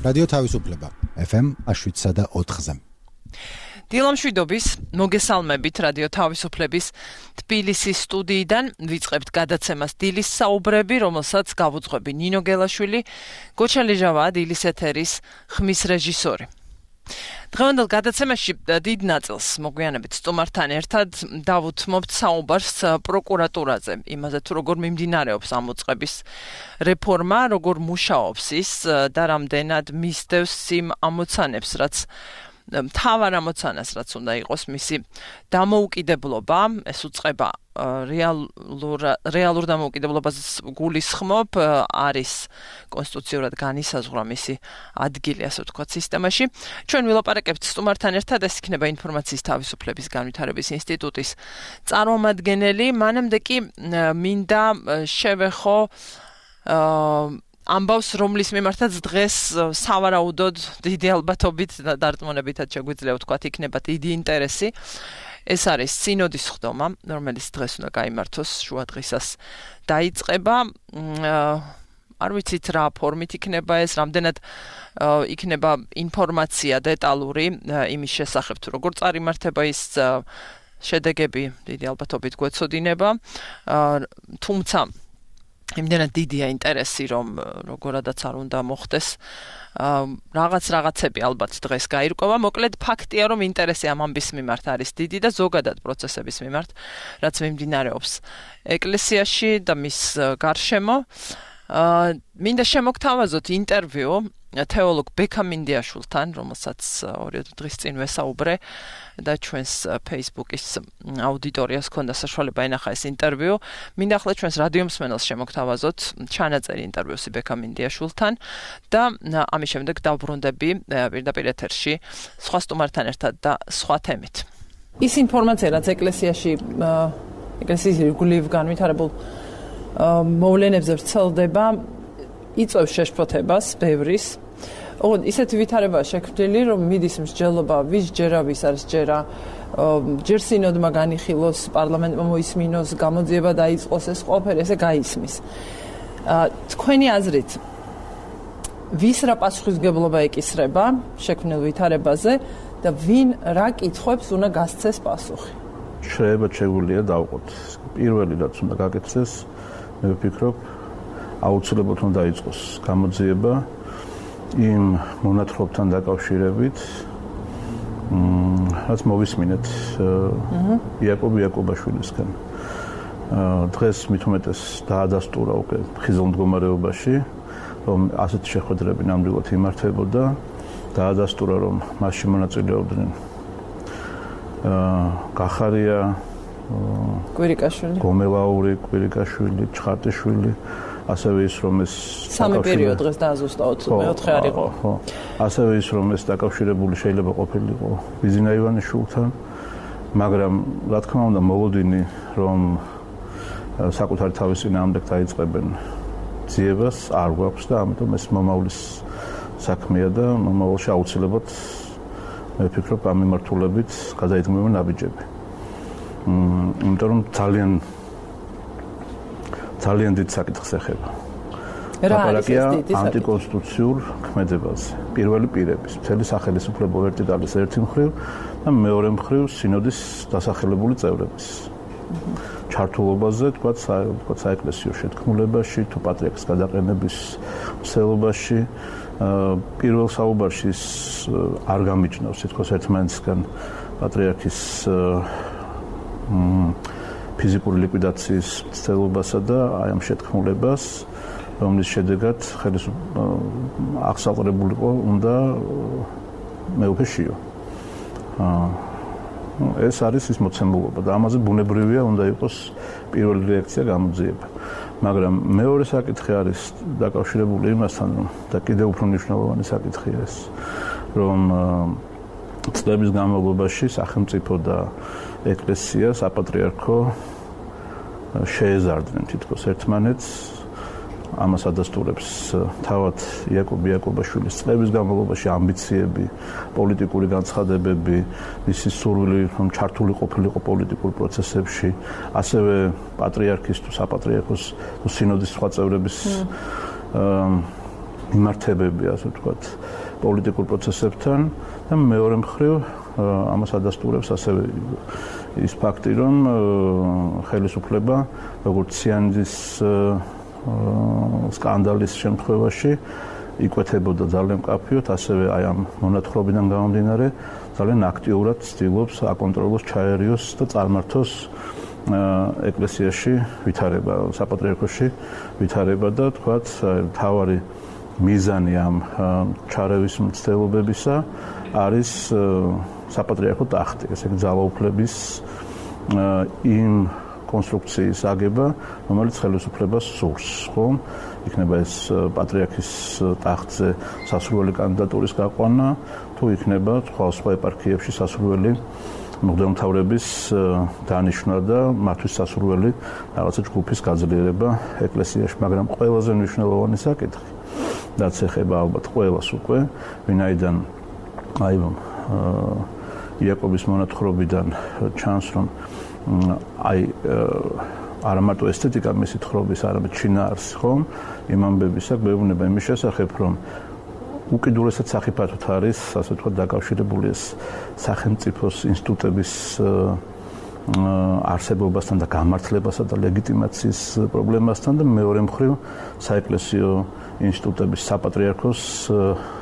რადიო თავისუფლება FM 107.4-ზე. დილამშვიდობის მოგესალმებით რადიო თავისუფლების თბილისის სტუდიიდან ვიწყებთ გადაცემას დილის საუბრები, რომელსაც გავუძღვები ნინო გელაშვილი, გოჩა ლეჟავაა დილის ეთერის ხმის რეჟისორი. დღევანდელ გადაცემაში დიდ ნაწილს მოგვიანებით სტუმართან ერთად დავუთმობთ საუბარს პროკურატურაზე, იმაზე თუ როგორ მიმდინარეობს ამ უწყების რეფორმა, როგორ მუშაობს ის და რამდენად მისდევს იმ ამოცანებს, რაც მთავარ ამოცანას, რაც უნდა იყოს მისი დამოუკიდებლობა, ეს უწყება რეალურ დამოუკიდებლობას გულისხმობ, არის კონსტიტუციურად განისაზღვრა მისი ადგილი, ასე ვთქვათ, სისტემაში. ჩვენ ვილაპარაკებთ სტუმართან ერთად, ეს იქნება ინფორმაციის თავისუფლების განვითარების ინსტიტუტის წარმომადგენელი, მანამდე კი მინდა შევეხო ამბავს, რომლის მიმართაც დღეს სავარაუდოდ დიდი ალბათობით და დარწმუნებითაც შეგვიძლია ვთქვათ, იქნება დიდი ინტერესი. ეს არის სინოდის ხდომა, რომელიც დღეს უნდა გაიმართოს შუადღისას დაიწყება. არ ვიცით რა ფორმით იქნება ეს, რამდენად იქნება ინფორმაცია დეტალური იმის შესახებ, თუ როგორ წარიმართება ის შედეგები დიდი ალბათობით გვეცოდინება, თუმცა იმდენად დიდია ინტერესი, რომ როგორადაც არ უნდა მოხდეს, რაღაცები ალბათ დღეს გაირკვევა. მოკლედ ფაქტია, რომ ინტერესი ამ ამბის მიმართ არის დიდი და ზოგადად პროცესების მიმართ, რაც მიმდინარეობს ეკლესიაში და მის გარშემო. მინდა შემოგთავაზოთ ინტერვიუ თეოლოგ ბექა მინდიაშვილთან, რომელსაც 2 დღის წინ ვესაუბრე და ჩვენს Facebook-ის აუდიტორიას ჰქონდა საშუალება ენახა ეს ინტერვიუ. მინდა ახლა ჩვენს რადიო მსმენელს შემოგთავაზოთ ჩანაწერი ინტერვიუსი ბექა მინდიაშვილთან და ამის შემდეგ დავბრუნდები პირდაპირ ეთერში სხვა სტუმართან ერთად და სხვა თემით. ის ინფორმაცია, რაც ეკლესიის რეგულირებულ განვითარებულ მოვლენებზე ვრცელდება, იწვევს შეშფოთებას ბევრის. ისეთი ვითარება შექმნილი, რომ მიდის მსჯელობა, ვის ჯერა, ვის არის ჯერა, ჯერ სინოდმა განიხილოს, პარლამენტმა მოისმინოს, გამოძიება დაიწყოს, ეს ყველაფერი ესე გაისმის. თქვენი აზრით, ვის რა პასუხისმგებლობა ეკისრება შექმნილ ვითარებაზე და ვინ რა კითხვებს უნდა გასცეს პასუხი? შეგვიძლია დავყოთ. პირველი რაც უნდა გაკეთდეს, მე ვფიქრობ, აუცილებლად უნდა დაიწყოს გამოძიება იმ მონათხრობთან დაკავშირებით, რაც მოვისმინეთ იაკობ იაკობაშვილისგან. დღეს მით უმეტეს დაადასტურა უკვე ხიზილ მდგომარეობაში, რომ ასეთი შეხვედრები ნამდვილად იმართებოდა, დაადასტურა, რომ მასში მონაწილეობდნენ გახარია, კვირიკაშვილი, გომელაური, კვირიკაშვილი, ჩხარტიშვილი, ასევე ის რომ ეს სამი პერიოდ დღეს დააზუსტავთ, მეოთხე არ იყო. ხო. ასევე ის რომ ეს დაკავშირებული შეიძლება ყოფილიყო ბიზინა ივანიშვილთან, მაგრამ რა თქმა უნდა მოლოდინი რომ საკუთარი თავის წინააღმდეგ დაიწყებენ ძიებას არ გვაქვს და ამიტომ ეს მომავლის საქმეა და მომავალში აუცილებლად მე ვფიქრობ ამ მიმართულებით გადაიდგმება ნაბიჯები. იმიტომ რომ ძალიან დიდ საკითხს ეხება. ლაპარაკია ანტიკონსტიტუციურ ქმედებაზე. პირველი პირების, მთელი სახელმწიფო ვერტიკალის ერთი მხრივ და მეორე მხრივ სინოდის დასახელებული წევრების ჩართულობაზე, თქვათ საეკლესიო შეთქმულებაში, თუ პატრიარქის გადაყენების მსვლელობაში. პირველ საუბარში არ გამიჩნევს თითქოს ერთმანეთისგან პატრიარქის ფიზიკური ლიკვიდაციის ცდილობასა და აი ამ შეთქმულებას, რომლის შედეგად აღსაყრებულიყო უნდა მეუფე შიო. ეს არის ის მოცემულობა და ამაზე ბუნებრივია უნდა იყოს პირველი რეაქცია გამოძიება. მაგრამ მეორე საკითხი არის დაკავშირებული იმასთან, და კიდევ უფრო მნიშვნელოვანი საკითხია ეს, რომ წლების განმავლობაში სახელმწიფო და ეკლესია, საპატრიარქო შეეზარდნენ თითქოს ერთმანეთს. ამას ადასტურებს თავად იაკობ იაკობაშვილის წლების განმავლობაში ამბიციები, პოლიტიკური განცხადებები, მისი სურვილი რომ ჩართული ყოფილიყო პოლიტიკურ პროცესებში, ასევე პატრიარქის თუ საპატრიარქოს თუ სინოდის სხვა წევრების მიმართებები, ასე ვთქვათ, პოლიტიკურ პროცესებთან და მეორე მხრივ ამას ადასტურებს ასევე ის ფაქტი, რომ ხელისუფლება როგორც ციანიძის სკანდალის შემთხვევაში იკვეთებოდა ძალიან მკაფიოდ, ასევე აი ამ მონათხრობიდან გამომდინარე ძალიან აქტიურად ცდილობს აკონტროლოს, ჩაერიოს და წარმართოს ეკლესიაში ვითარება, საპატრიარქოში ვითარება და თქვათ თავარი მიზანი ამ ჩარევის მცდელობებისა არის საპატრიარქო ტახტი, ესე იგი ძალაუფლების იმ კონსტრუქციის აგება, რომელიც ხელისუფლებას სურს, ხო? იქნება ეს პატრიარქის ტახტზე სასურველი კანდიდატურის გაყვანა, თუ იქნება სხვა ეპარქიებში სასურველი მღვდელმთავრების დანიშვნა და მათთვის სასურველი რაღაცა ჯგუფის გაძლიერება ეკლესიაში, მაგრამ ყველაზე მნიშვნელოვანი საკითხი, რაც ეხება ალბათ ყველას უკვე, ვინაიდან აი იაკობის მონათხრობიდან ჩანს, რომ აი არა მარტო ესთეტიკა მისი თხრობის, არამედ შინაარსი, ხომ? იმ ამბებისა გვეუბნება იმის შესახებ, რომ უკიდურესად სახიფათოდ არის, ასე ვთქვათ, დაკავშირებული ეს სახელმწიფოს ინსტიტუტების არსებობასთან და გამართლებასა და ლეგიტიმაციის პრობლემასთან და მეორე მხრივ საეკლესიო ინსტიტუტების საპატრიარქოს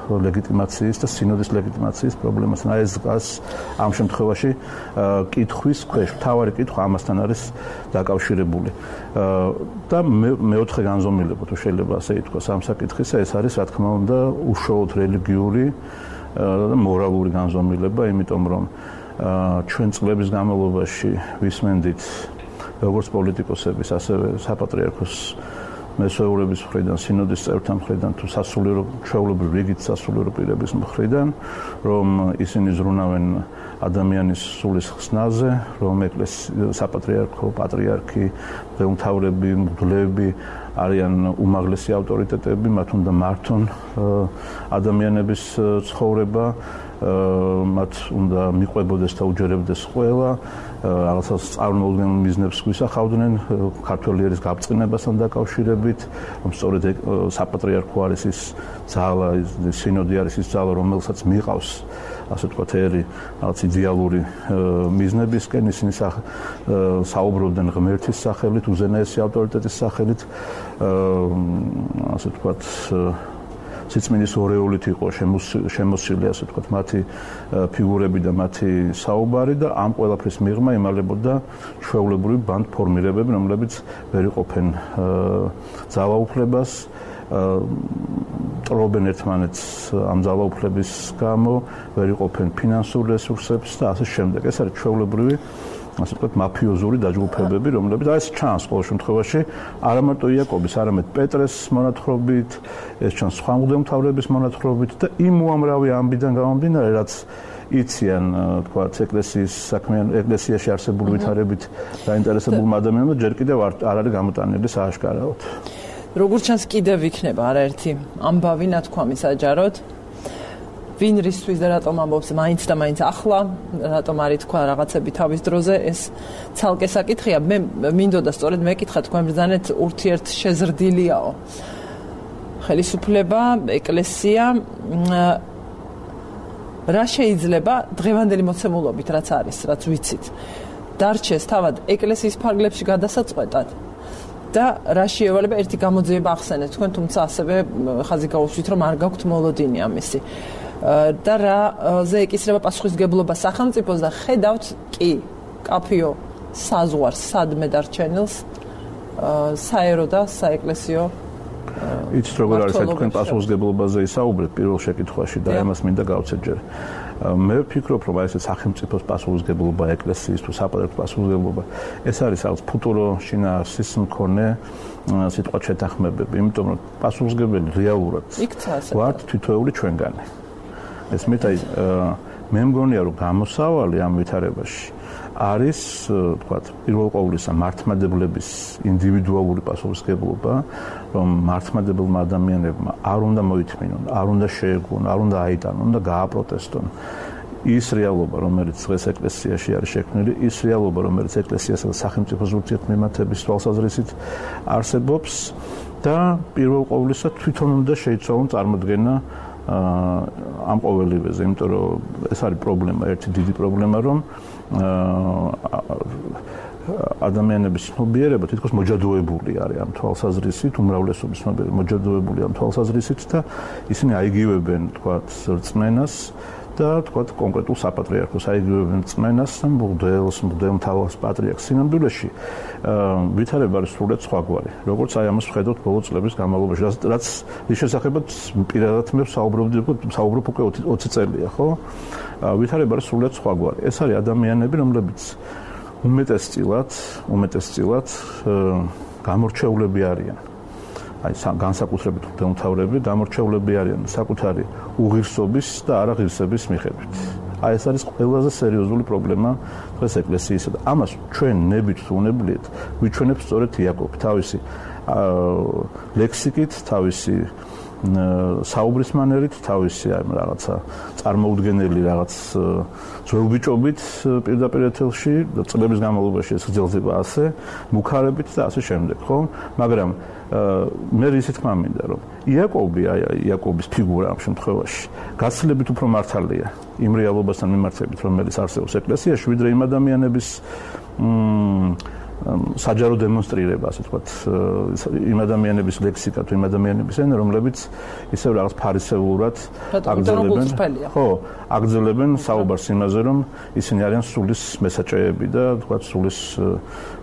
ლეგიტიმაციის და სინოდის ლეგიტიმაციის პრობლემასთან. აი ეს ამ შემთხვევაში კითხვის ქვეშ, მთავარი კითხვა ამასთან არის დაკავშირებული. და მეოთხე განზომილება, თუ შეიძლება ასე ითქვას, ამ საკითხისა, ეს არის, რა თქმა უნდა, უშუალოდ რელიგიური და მორალური განზომილება, იმიტომ რომ ჩვენ წლების განმავლობაში ვისმენდით როგორც პოლიტიკოსების, ასევე საპატრიარქოს მესვეურების მხრიდან, სინოდის წევრთა მხრიდან, თუ სასულიერო ჩვეულებრივ რიგით სასულიერო პირების მხრიდან, რომ ისინი ზრუნავენ ადამიანის სულის ხსნაზე, რომ საპატრიარქო, პატრიარქი, მღვდელმთავრები, მღვდლები არიან უმაღლესი ავტორიტეტები, მათ უნდა მართონ ადამიანების ცხოვრება, მათ უნდა მიყვებოდეს და უჯერებდეს ყველა, რაღაცა წარმოუდგენელ მიზნებს გვისახავდნენ ქართველი ერის გაბწყინებასთან დაკავშირებით, რომ სწორედ საპატრიარქო არის ის ძალა, სინოდი არის ის ძალა, რომელსაც მიყავს, ასე ვთქვათ, ერი რაღაც იდეალური მიზნებისკენ, ისინი საუბრობდნენ ღმერთის სახელით, უზენაესი ავტორიტეტის სახელით, ასე ვთქვათ, სიწმინდის ორეოლით იყო შემოსილი, ასე ვთქვათ, მათი ფიგურები და მათი საუბარი და ამ ყველაფრის მიღმა იმალებოდა ჩვეულებრივი ბანდფორმირებები, რომლებიც ვერ იყოფენ ძალაუფლებას, ტრობენ ერთმანეთს ამ ძალაუფლების გამო, ვერ იყოფენ ფინანსურ რესურსებს და ასე შემდეგ. ეს არის ჩვეულებრივი, ასე ვთქვათ, მაფიოზური დაჯგუფებები, რომლებიც აი ეს ჩანს ყოველ შემთხვევაში, არა მარტო იაკობის, არამედ პეტრეს მონათხრობით, ეს ჩანს სხვა მღვდელმთავრების მონათხრობით და იმ უამრავი ამბიდან გამომდინარე, რაც იციან, თქვათ, ეკლესიის საქმიან, ეკლესიაში არსებული ვითარებით დაინტერესებულმა ადამიანებმა, ჯერ კიდევ არ არის გამოტანილი სააშკარაოდ. როგორც ჩანს, კიდევ იქნება არაერთი ამბავი ნათქვამი საჯაროდ. ვინ რისთვის და რატომ ამბობს მაინც და მაინც ახლა, რატომ არ ითქვა რაღაცები თავის დროზე, ეს ცალკე საკითხია. მე მინდოდა სწორედ მეკითხა, თქვენ ბრძანეთ ურთიერთ შეზრდილიაო. ხელისუფლება, ეკლესია, რა შეიძლება დღევანდელი მოცემულობით, რაც არის, რაც ვიცით, დარჩეს თავად ეკლესიის ფარგლებში გადასაწყვეტად და რა შეევალება ერთი გამოძიება ახსენეთ თქვენ, თუმცა ასევე ხაზი გაუშვით, რომ არ გაქვთ მოლოდინი ამისი. და რაზე ეკისრება პასუხისმგებლობა სახელმწიფოს და ხედავთ კი კაფიო საზღვარს სადმე დარჩენილს საერო და საეკლესიო იცით როგორ არის თქვენ პასუხისმგებლობაზე ისაუბრეთ პირველ შეკითხვაში და ამას მინდა გავცეთ ჯერ. მე ვფიქრობ, რომ ეს სახელმწიფოს პასუხისმგებლობა, ეკლესიის თუ საპატრიარქოს პასუხისმგებლობა, ეს არის რაღაც ფუტურო შინაარსის მქონე სიტყვა შეთანხმებები, იმიტომ რომ პასუხისმგებელი რეალურად ვართ თითოეული ჩვენგანი. ეს მეტად მე მგონია, რომ გამოსავალი ამ ვითარებაში არის, თქვათ, პირველ ყოვლისა მართლმადებლების ინდივიდუალური პასუხისმგებლობა, რომ მართლმადებელმა ადამიანებმა არ უნდა მოითმინონ, არ უნდა შეეგუონ, არ უნდა აიტანონ და გააპროტესტონ ის რეალობა, რომელიც დღეს ეკლესიაში არის შექმნილი, ის რეალობა, რომელიც ეკლესიასა და სახელმწიფოს ურთიერთმემართების თვალსაზრისით არსებობს და პირველ ყოვლისა თვითონ უნდა შეიცვალონ წარმოდგენა ამ ყოველივეზე, იმიტომ რომ ეს არის პრობლემა, ერთი დიდი პრობლემა, რომ ადამიანების ცნობიერება თითქოს მოჯადოებული არის ამ თვალსაზრისით, უმრავლესობის ცნობიერება მოჯადოებული ამ თვალსაზრისით და ისინი აიგივებენ, თქვათ, რწმენას და თქვათ კონკრეტულ საპატრიარქოს აიგივებენ რწმენას და მღვდელმთავარს პატრიარქს სინამდვილეში ვითარება არის სრულიად სხვაგვარი. როგორც აი ამას ვხედავთ ბოლო წლების განმავლობაში, რაც ის შესახებაც პირადად მე საუბრობ უკვე 20 წელია, ხო? ვითარება არის სრულიად სხვაგვარი. ეს არის ადამიანები, რომლებიც უმეტესწილად გამორჩეულები არიან. აი განსაკუთრებით მღვდელმთავრები გამორჩეულები არიან საკუთარი უღირსობის და არაღირსების მიხედვით. აი ეს არის ყველაზე სერიოზული პრობლემა დღეს ეკლესიისა და ამას ჩვენ ნებით თუ უნებლიეთ ვიჩვენებთ სწორედ იაკობი თავისი ლექსიკით, თავისი საუბრის მანერით, თავისი აი რაღაცა წარმოუდგენელი რაღაც ძველბიჭობით პირდაპირ ეთელში და წლების განმავლობაში ეს გრძელდება ასე, მუქარებით და ასე შემდეგ, ხო? მაგრამ მე ისეთ თქმა მინდა, რომ იაკობის ფიგურა ამ შემთხვევაში გაცილებით უფრო მართალია იმ რეალობასთან მიმართებით, რომელიც არსებობს ეკლესიაში, ვიდრე იმ ადამიანების საჯარო დემონსტრირება, ასე ვთქვათ, იმ ადამიანების ლექსიკა თუ იმ ადამიანების ენა, რომლებიც ისევ რაღაც ფარისეულად აგრძელებენ საუბარს იმაზე, რომ ისინი არიან სულის მესაჭეები და თქვათ სულის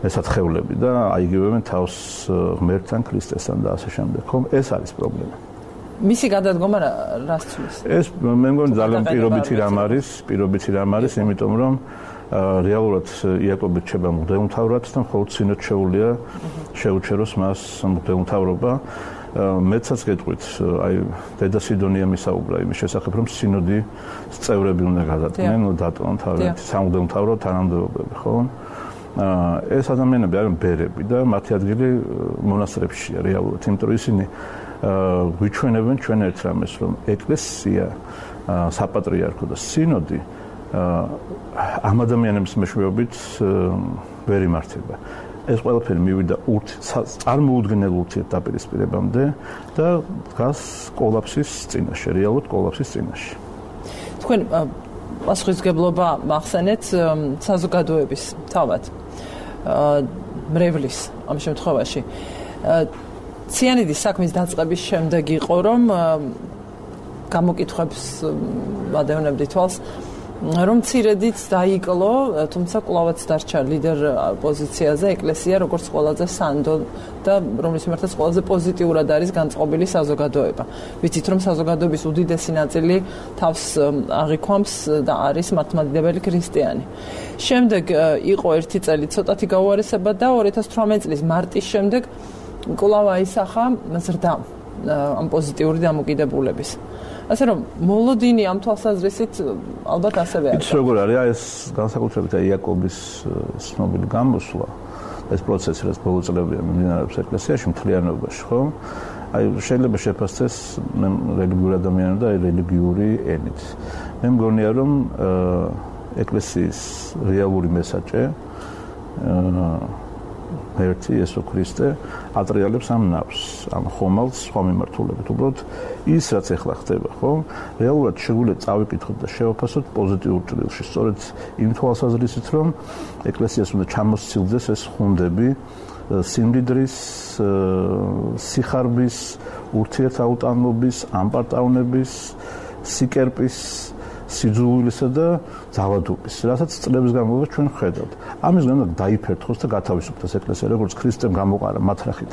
მესათხევლები და აიგივებენ თავს ღმერთთან, ქრისტესთან და ასე შემდეგ. ხო, ეს არის პრობლემა. მისი გადადგომა რას ცვლის? ეს მე მგონი ძალიან პირობითი რამ არის, იმიტომ რომ რეალურად იაკობი რჩება მღვდელმთავრად და მხოლოდ სინოდ შეუძლია შეუჩეროს მას მღვდელმთავრობა. მეცაც გეტყვით, აი დედა სიდონია მისაუბრა იმის შესახებ, რომ სინოდის წევრები უნდა გადადგნენ, დატოვონ თავიანთი სამღვდელმთავრო თანამდებობები, ხო? ეს ადამიანები არიან ბერები და მათი ადგილი მონასტრებშია რეალურად, იმიტომ რომ ისინი გვიჩვენებენ ჩვენ ერთ რამეს, რომ ეკლესია, საპატრიარქო და სინოდი ამ ადამიანების მეშვეობით ვერ იმართება. ეს ყველაფერი მივიდა წარმოუდგენელ ურთიერთდაპირისპირებამდე და დგას კოლაფსის წინაშე, რეალურად კოლაფსის წინაშე. თქვენ პასუხისმგებლობა მახსენეთ საზოგადოების თავად მრევლის ამ შემთხვევაში. ციანიდის საქმის დაწყების შემდეგ იყო, რომ გამოკითხვებს ვადევნებდი თვალს, რომ ცირედიც დაიკლო, თუმცა კვლავაც დარჩა ლიდერ პოზიციაზე ეკლესია, როგორც ყველაზე სანდო და რომლის მიმართაც ყველაზე პოზიტიურად არის განწყობილი საზოგადოება. ვიცით, რომ საზოგადოების უდიდესი ნაწილი თავს აღიქვამს და არის მართლმადიდებელი ქრისტიანი. შემდეგ იყო ერთი წელი ცოტათი გაუარესება და 2018 წლის მარტის შემდეგ კვლავ აისახა ზრდა ამ პოზიტიური დამოკიდებულების. ასე რომ მოლოდინი ამ თვალსაზრისით ალბათ ასევე არის. ის როგორ არის ეს განსაკუთრებით იაკობის ცნობილი გამოსვლა, ეს პროცესი, რაც ბოლო წლებია მიმდინარეობს ეკლესიაში მთლიანობაში, ხო? აი შეიძლება შეფასდეს რელიგიური ადამიანები და რელიგიური ენით. მე მგონია, რომ ეკლესიის რეალური მესაჭე ერთი იესო ქრისტე ატრიალებს ამ ნავს, ამ ხომალდს სხვა მიმართულებით. უბრალოდ ის რაც ახლა ხდება, ხო? რეალურად შეგვიძლია წავიკითხოთ და შევაფასოთ პოზიტიურ ჭრილში. სწორედ იმ თვალსაზრისით, რომ ეკლესიას უნდა ჩამოსცილდეს ეს ხუნდები სიმდიდრის, სიხარბის, ურთიერთაუტანობის, ამპარტავნების, სიკერპის, სიძულვილისა და ძალადობის, რასაც წლების განმავლობაში ჩვენ ვხედავთ. ამის გამო დაიფერთხოს და გათავისუფლდეს ეკლესია, როგორც ქრისტემ გამოყარა მათრახით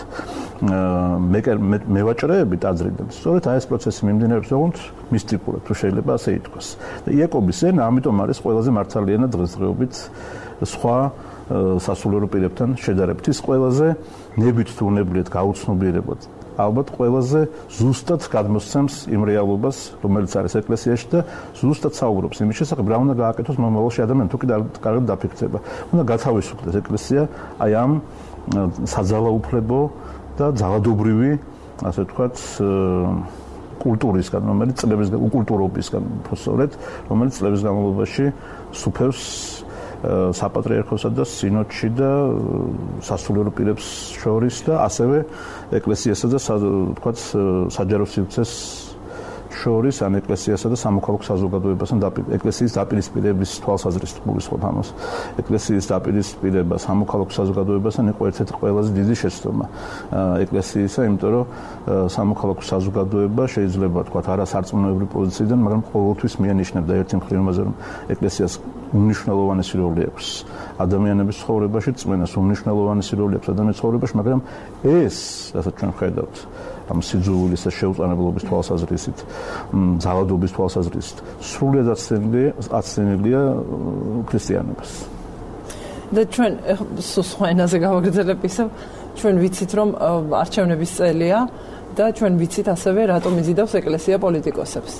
მევაჭრეები ტაძრიდან. სწორედ აი ეს პროცესი მიმდინარეობს, როგორც მისტიკურად, თუ შეიძლება ასე ითქვას. და იაკობის ენა ამიტომ არის ყველაზე მართალი ენა დღესდღეობით სხვა სასულიერო პირებთან შედარებით. ის ყველაზე ნებით თუ უნებლიეთ გაუცნობიერებად ალბათ ყველაზე ზუსტად გადმოსცემს იმ რეალობას, რომელიც არის ეკლესიაში და ზუსტად საუბრობს იმის შესახებ, რა უნდა გააკეთოს მომავალში ადამიანი თუ კი კარგად დაფიქრდება. უნდა გათავისუფლდეს ეკლესია აი ამ საძალაუფლებო და ძალადობრივი, ასე ვთქვათ, კულტურისგან, რომელიც კულტურობისგან, უბრალოდ, რომელიც წლების განმავლობაში სუფევს საპატრიარქოსა და სინოდში და სასულიერო პირებს შორის და ასევე ეკლესიასა და თქვათ საჯარო სივრცეს შორის ან ეკლესიასა და სამოქალაქო საზოგადოებასთან ეკლესიის დაპირისპირების თვალსაზრისით გულისხმობ ამას. ეკლესიის დაპირისპირება სამოქალაქო საზოგადოებასთან იყო ერთ-ერთი ყველაზე დიდი შეცდომა ეკლესიისა, იმიტომ რომ სამოქალაქო საზოგადოება შეიძლება თქვათ არა სარწმუნოებრივი პოზიციიდან, მაგრამ ყოველთვის მიანიშნებდა ერთი მხრივ იმაზე, რომ ეკლესიას უნიშნელოვანესი როლი აქვს ადამიანების ცხოვრებაში, წმენას უნიშნელოვანესი როლი აქვს ადამიანის ცხოვრებაში, მაგრამ ეს, რასაც ჩვენ ხედავთ, ამ სიძულვილის და შეუწყნებლობის თვალსაზრისით, ძალადობის თვალსაზრისით, სრულად აცდენილია ქრისტიანობას. და ჩვენ სხვა ენაზე გავაგრძელებ ისევ, ჩვენ ვიცით, რომ არჩევნების წელია და ჩვენ ვიცით ასევე, რატომ იზიდავს ეკლესია პოლიტიკოსებს.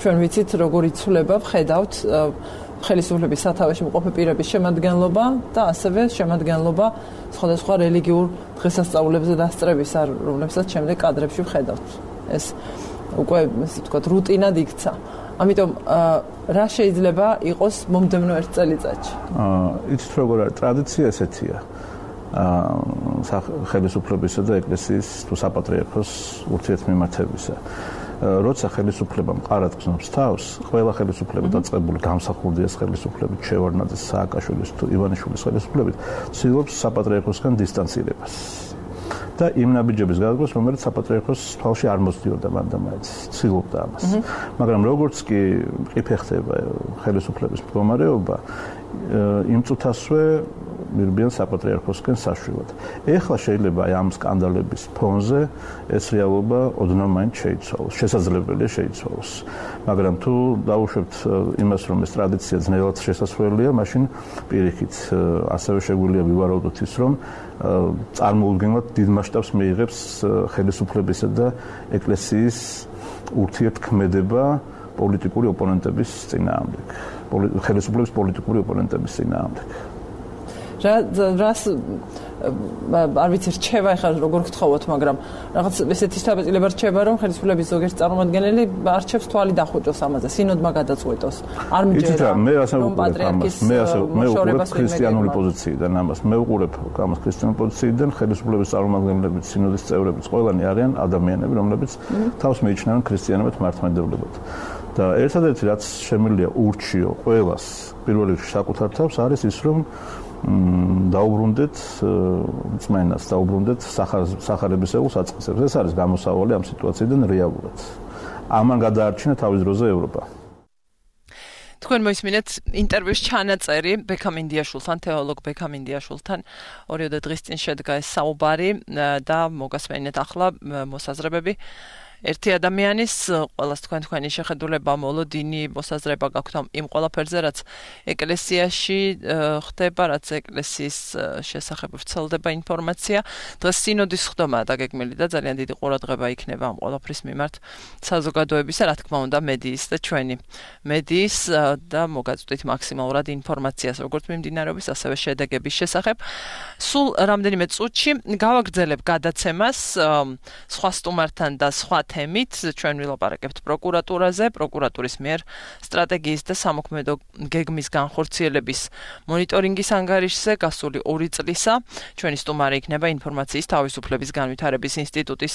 ჩვენ ვიცით, როგორ იცვლება, ვხედავთ ხელისუფლების სათავეში მყოფი პირების შემადგენლობა და ასევე შემადგენლობა სხვადასხვა რელიგიურ დღესასწაულებზე დასწრებისა, რომლებსაც შემდეგ კადრებში ვხედავთ. ეს უკვე ესე ვთქვათ, რუტინად იქცა. ამიტომ რა შეიძლება იყოს მომდევნო ერთ წელიწადში? იცით როგორ არის ტრადიცია ესეთია. ხელისუფლებისა და ეკლესიის თუ საპატრიარქოს ურთიერთმიმართებისა. როცა ხელისუფლება მყარად გრძნობს თავს, ყველა ხელისუფლება დაწყებული გამსახურდიას ხელისუფლებით, შევარდნაძის, სააკაშვილის თუ ივანიშვილის ხელისუფლებით ცდილობს საპატრიარქოსგან დისტანცირებას. და იმ ნაბიჯების გადადგმას, რომელიც საპატრიარქოს თვალში არ მოსდიოდა მანდამაინც, ცდილობდა ამას. მაგრამ როგორც კი ყიფე ხდება ხელისუფლების მდგომარეობა, იმ წუთასვე მირბიან საპატრიარქოსკენ საშვილად. ეხლა შეიძლება ამ სკანდალების ფონზე ეს რეალობა ოდნავ მაინც შეიცვალოს, შესაძლებელია შეიცვალოს. მაგრამ თუ დავუშვებთ იმას, რომ ეს ტრადიცია ძნელად შესასვლელია, მაშინ პირიქით ასევე შეგვიძლია ვივარაუდოთ ის, რომ წარმოუდგენლად დიდ მასშტაბს მიიღებს ხელისუფლებისა და ეკლესიის ურთიერთქმედება პოლიტიკური ოპონენტების წინააღმდეგ, ხელისუფლების პოლიტიკური ოპონენტების წინააღმდეგ. რას არ ვიცი რჩება ახლა როგორ გთხოვოთ, მაგრამ რაღაც ესეთი შთაბეჭდილება რჩება, რომ ხელისუფლების ზოგიერთი წარმომადგენელი არჩევს თვალი დახუჭოს ამაზე, სინოდმა გადაწყვეტოს. არ მიჯერა. მე ასე ვუყურებ ამას. მე ვუყურებ ქრისტიანული პოზიციიდან ამას. მე ვუყურებ ამას ქრისტიანული პოზიციიდან, ხელისუფლების წარმომადგენლებიც, სინოდის წევრებიც, ყველანი არიან ადამიანები, რომლებიც თავს მიიჩნევენ ქრისტიანებად მართლმადიდებლობად. და ერთადერთი რაც შემიძლია ურჩიო ყველას პირველ რიგში საკუთარ თავს არის ის, რომ დაუბრუნდეთ წმენას, დაუბრუნდეთ სახარებისეულ საწყისებს. ეს არის გამოსავალი ამ სიტუაციიდან რეალურად. ამან გადაარჩინა თავის დროზე ევროპა. თქვენ მოისმინეთ ინტერვიუს ჩანაწერი ბექამ ინდიაშვილთან, თეოლოგ ბექამ ინდიაშვილთან. 2 დღის წინ შედგა ეს საუბარი და მოგასმენეთ ახლა მოსაზრებები. ერთი ადამიანის ყველას თქვენი შეხედულება, მოლოდინი, მოსაზრება გაქვთ იმ ყველაფერზე, რაც ეკლესიაში ხდება, რაც ეკლესიის შესახებ ვრცელდება ინფორმაცია. დღეს სინოდის ხდომაა დაგეგმილი და ძალიან დიდი ყურადღება იქნება ამ ყველაფრის მიმართ საზოგადოებისა, რა თქმა უნდა, მედიის და ჩვენი მედიის და მოგაწვდით მაქსიმალურად ინფორმაციას, როგორც მიმდინარეობის, ასევე შედეგების შესახებ. სულ რამდენიმე წუთში გავაგრძელებ გადაცემას სხვა სტუმართან და სხვა თემით. ჩვენ ვილაპარაკებთ პროკურატურაზე, პროკურატურის მიერ სტრატეგიის და სამოქმედო გეგმის განხორციელების მონიტორინგის ანგარიშზე გასული 2 წლისა. ჩვენი სტუმარი იქნება ინფორმაციის თავისუფლების განვითარების ინსტიტუტის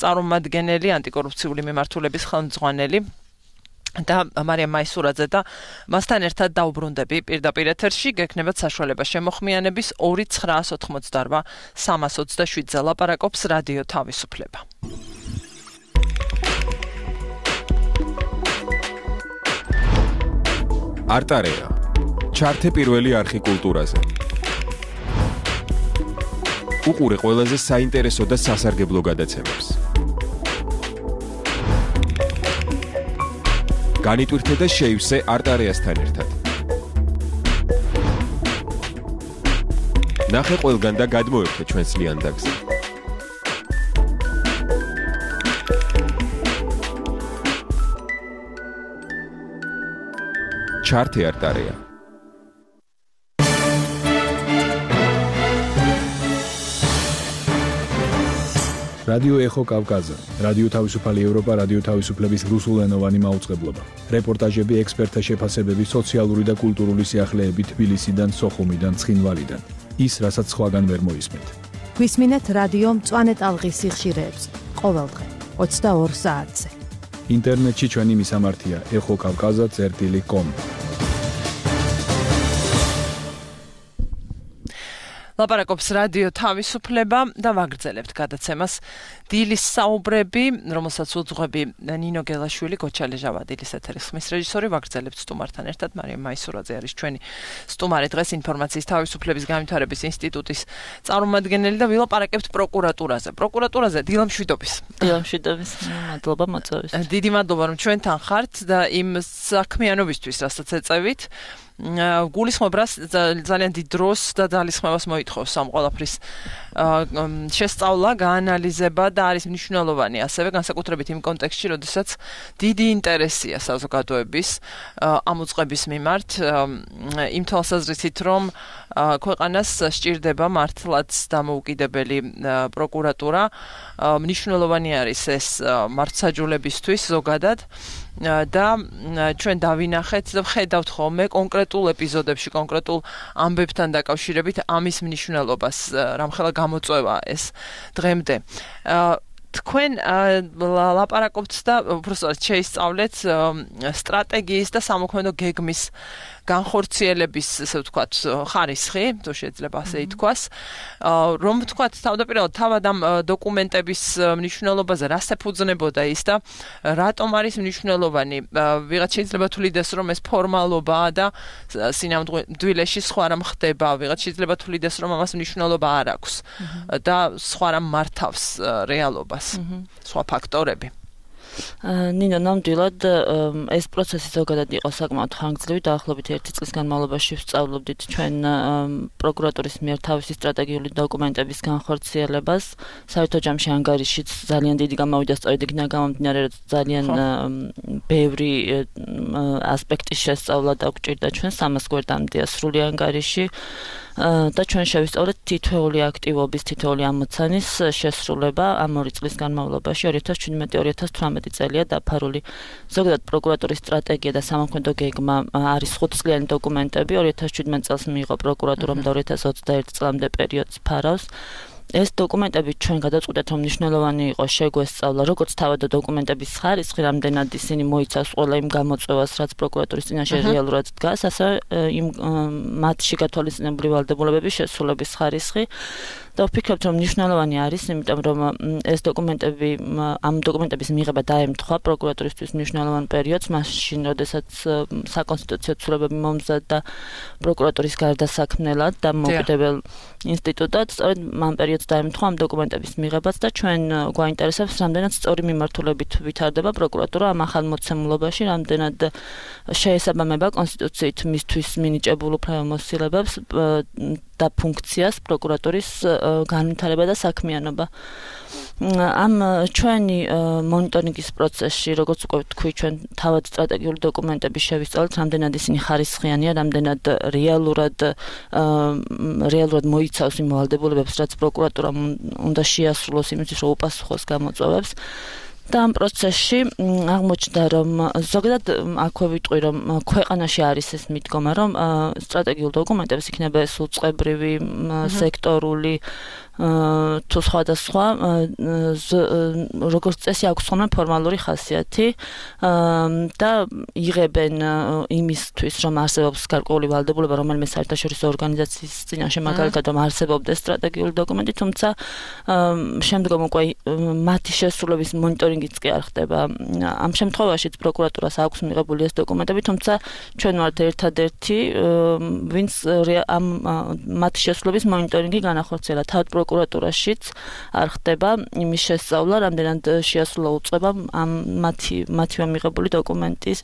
წარმომადგენელი, ანტიკორუფციული მიმართულების ხელმძღვანელი და მარიამ მაისურაძე და მასთან ერთად დაუბრუნდები პირდაპირ ეთერში. გექნებათ საშუალება შემოხმიანების 2988 327-ზე ლაპარაკობს რადიო თავისუფლება. არტარეა. ჩართე პირველი არხი კულტურაზე. უყურე ყველაზე საინტერესო და სასარგებლო გადაცემებს. განიტვირთე და შეივსე არტარეასთან ერთად. ნახე ყველგან და გადმოერთე ჩვენს ლიანდაგზე. ჩართე არტარეა. რადიო ეხო კავკაზა, რადიო თავისუფალი ევროპა, რადიო თავისუფლების რუსულენოვანი მაუწყებლობა. რეპორტაჟები, ექსპერტთა შეფასებები, სოციალური და კულტურული სიახლეები თბილისიდან, სოხუმიდან, ცხინვალიდან. ის, რასაც სხვაგან ვერ მოისმენთ. გვისმინეთ რადიო მწვანე ტალღის სიხშირეებს ყოველდღე 22 საათზე. ინტერნეტში ჩვენი მისამართია exokavkaza.com. ლაპარაკობს რადიო თავისუფლება და ვაგრძელებთ გადაცემას დილის საუბრები, რომელსაც უძღვები ნინო გელაშვილი, გოჩალე ჟავადილის ეთერის ხმის რეჟისორი, ვაგრძელებთ სტუმართან ერთად. მარიამ მაისურაძე არის ჩვენი სტუმარი დღეს ინფორმაციის თავისუფლების განვითარების ინსტიტუტის წარმომადგენელი და ვილაპარაკებთ პროკურატურაზე. პროკურატურაზე დილამშვიდობის. დილამშვიდობის. მადლობა მოწვევის. დიდი მადლობა რომ ჩვენთან ხართ და იმ საქმიანობისთვის, რასაც ეწევით. გულისხმობრას ძალიან დიდ დროს და ძალისხმევას მოითხოვს ამ ყველაფრის შესწავლა, გაანალიზება და არის მნიშვნელოვანი ასევე განსაკუთრებით იმ კონტექსტში, როდესაც დიდი ინტერესია საზოგადოების ამ უწყების მიმართ, იმ თვალსაზრისით, რომ ქვეყანას სჭირდება მართლაც დამოუკიდებელი პროკურატურა, მნიშვნელოვანი არის ეს მართლმსაჯულებისთვის ზოგადად. და ჩვენ დავინახეთ და ვხედავთ ხოლმე კონკრეტულ ეპიზოდებში, კონკრეტულ ამბებთან დაკავშირებით ამის მნიშვნელობას, რამხელა გამოწვევა ეს დღემდე. თქვენ ლაპარაკობთ და უბრალოდ შეისწავლეთ სტრატეგიის და სამოქმედო გეგმის განხორციელების, ესე ვთქვათ, ხარისხი, თუ შეიძლება ასე ითქვას, რომ ვთქვათ, თავდაპირველად თავად ამ დოკუმენტების მნიშვნელობაზე რას ეფუძნებოდა ის და რატომ არის მნიშვნელოვანი? ვიღაც შეიძლება თulides, რომ ეს ფორმალობაა და სინამდვილეში სხვა რამ ხდება, ვიღაც შეიძლება თulides, რომ ამას მნიშვნელობა არ აქვს და სხვა რამ მართავს რეალობას, სხვა ფაქტორები. ნინო, ნამდვილად ეს პროცესი ზოგადად იყო საკმაოდ ხანგრძლივი, დაახლოებით 1 წლის განმავლობაში ვსწავლობდით ჩვენ პროკურატურის მიერ თავისი სტრატეგიული დოკუმენტების განხორციელებას. საერთო ჯამში ანგარიშიც ძალიან დიდი გამოვიდა, სწორედ იქიდან გამომდინარე, რომ ძალიან ბევრი ასპექტის შესწავლა დაგვჭირდა ჩვენ, 300 გვერდამდეა სრული ანგარიში. და ჩვენ შევისწავლეთ თითოეული აქტივობის, თითოეული ამოცანის შესრულება ამ 2 წლის განმავლობაში 2017-2018 წელია დაფარული. ზოგადად პროკურატურის სტრატეგია და სამოქმედო გეგმა არის 5 წლიანი დოკუმენტები, 2017 წელს მიიღო პროკურატურამ და 2021 წლამდე პერიოდს ფარავს. ეს დოკუმენტები ჩვენ გადაწყვეტეთ, რომ მნიშვნელოვანი იყო შეგვესწავლა, როგორც თავად დოკუმენტების ხარისხი, რამდენად ისინი მოიცავს ყველა იმ გამოწვევას, რაც პროკურატურის წინაშე რეალურად დგას, ასევე იმ მათში გათვალისწინებული ვალდებულებების შესრულების ხარისხი. და ვფიქრობთ, რომ მნიშვნელოვანი არის, იმიტომ რომ ეს დოკუმენტები, ამ დოკუმენტების მიღება დაემთხვა პროკურატურისთვის მნიშვნელოვან პერიოდს, მაშინ, როდესაც საკონსტიტუციო ცვლილებები მომზადდა პროკურატურის გარდასაქმნელად და მოკიდებელ ინსტიტუტად, სწორედ ამ პერიოდს დაემთხვა ამ დოკუმენტების მიღებაც და ჩვენ გვაინტერესებს, რამდენად სწორი მიმართულებით ვითარდება პროკურატურა ამ ახალ მოცემულობაში, რამდენად შეესაბამება კონსტიტუციით მისთვის მინიჭებულ უფლებამოსილებებს და ფუნქციას პროკურატურის განვითარება და საქმიანობა. ამ ჩვენი მონიტორინგის პროცესში, როგორც უკვე ვთქვი, ჩვენ თავად სტრატეგიული დოკუმენტები შევისწავლეთ, რამდენად ისინი ხარისხიანია, რამდენად რეალურად მოიცავს იმ ვალდებულებებს, რაც პროკურატურამ უნდა შეასრულოს იმისთვის, რომ უპასუხოს გამოწვევებს. და ამ პროცესში აღმოჩნდა, რომ ზოგადად აქვე ვიტყვი, რომ ქვეყანაში არის ეს მიდგომა, რომ სტრატეგიულ დოკუმენტებს იქნება ეს უწყებრივი, სექტორული თუ სხვადასხვა როგორც წესი აქვს ხოლმე ფორმალური ხასიათი და იღებენ იმისთვის, რომ არსებობს გარკვეული ვალდებულება რომელიმე საერთაშორისო ორგანიზაციის წინაშე, მაგალითად, რომ არსებობდეს სტრატეგიული დოკუმენტი, თუმცა შემდგომ უკვე მათი შესრულების მონიტორინგიც კი არ ხდება. ამ შემთხვევაშიც პროკურატურას აქვს მიღებული ეს დოკუმენტები, თუმცა ჩვენ ვართ ერთადერთი, ვინც ამ მათი შესრულების მონიტორინგი განახორციელა. თავად პროკურატურაშიც არ ხდება იმის შესწავლა, რამდენად შეასრულა უწყება ამ მათივე მიღებული დოკუმენტის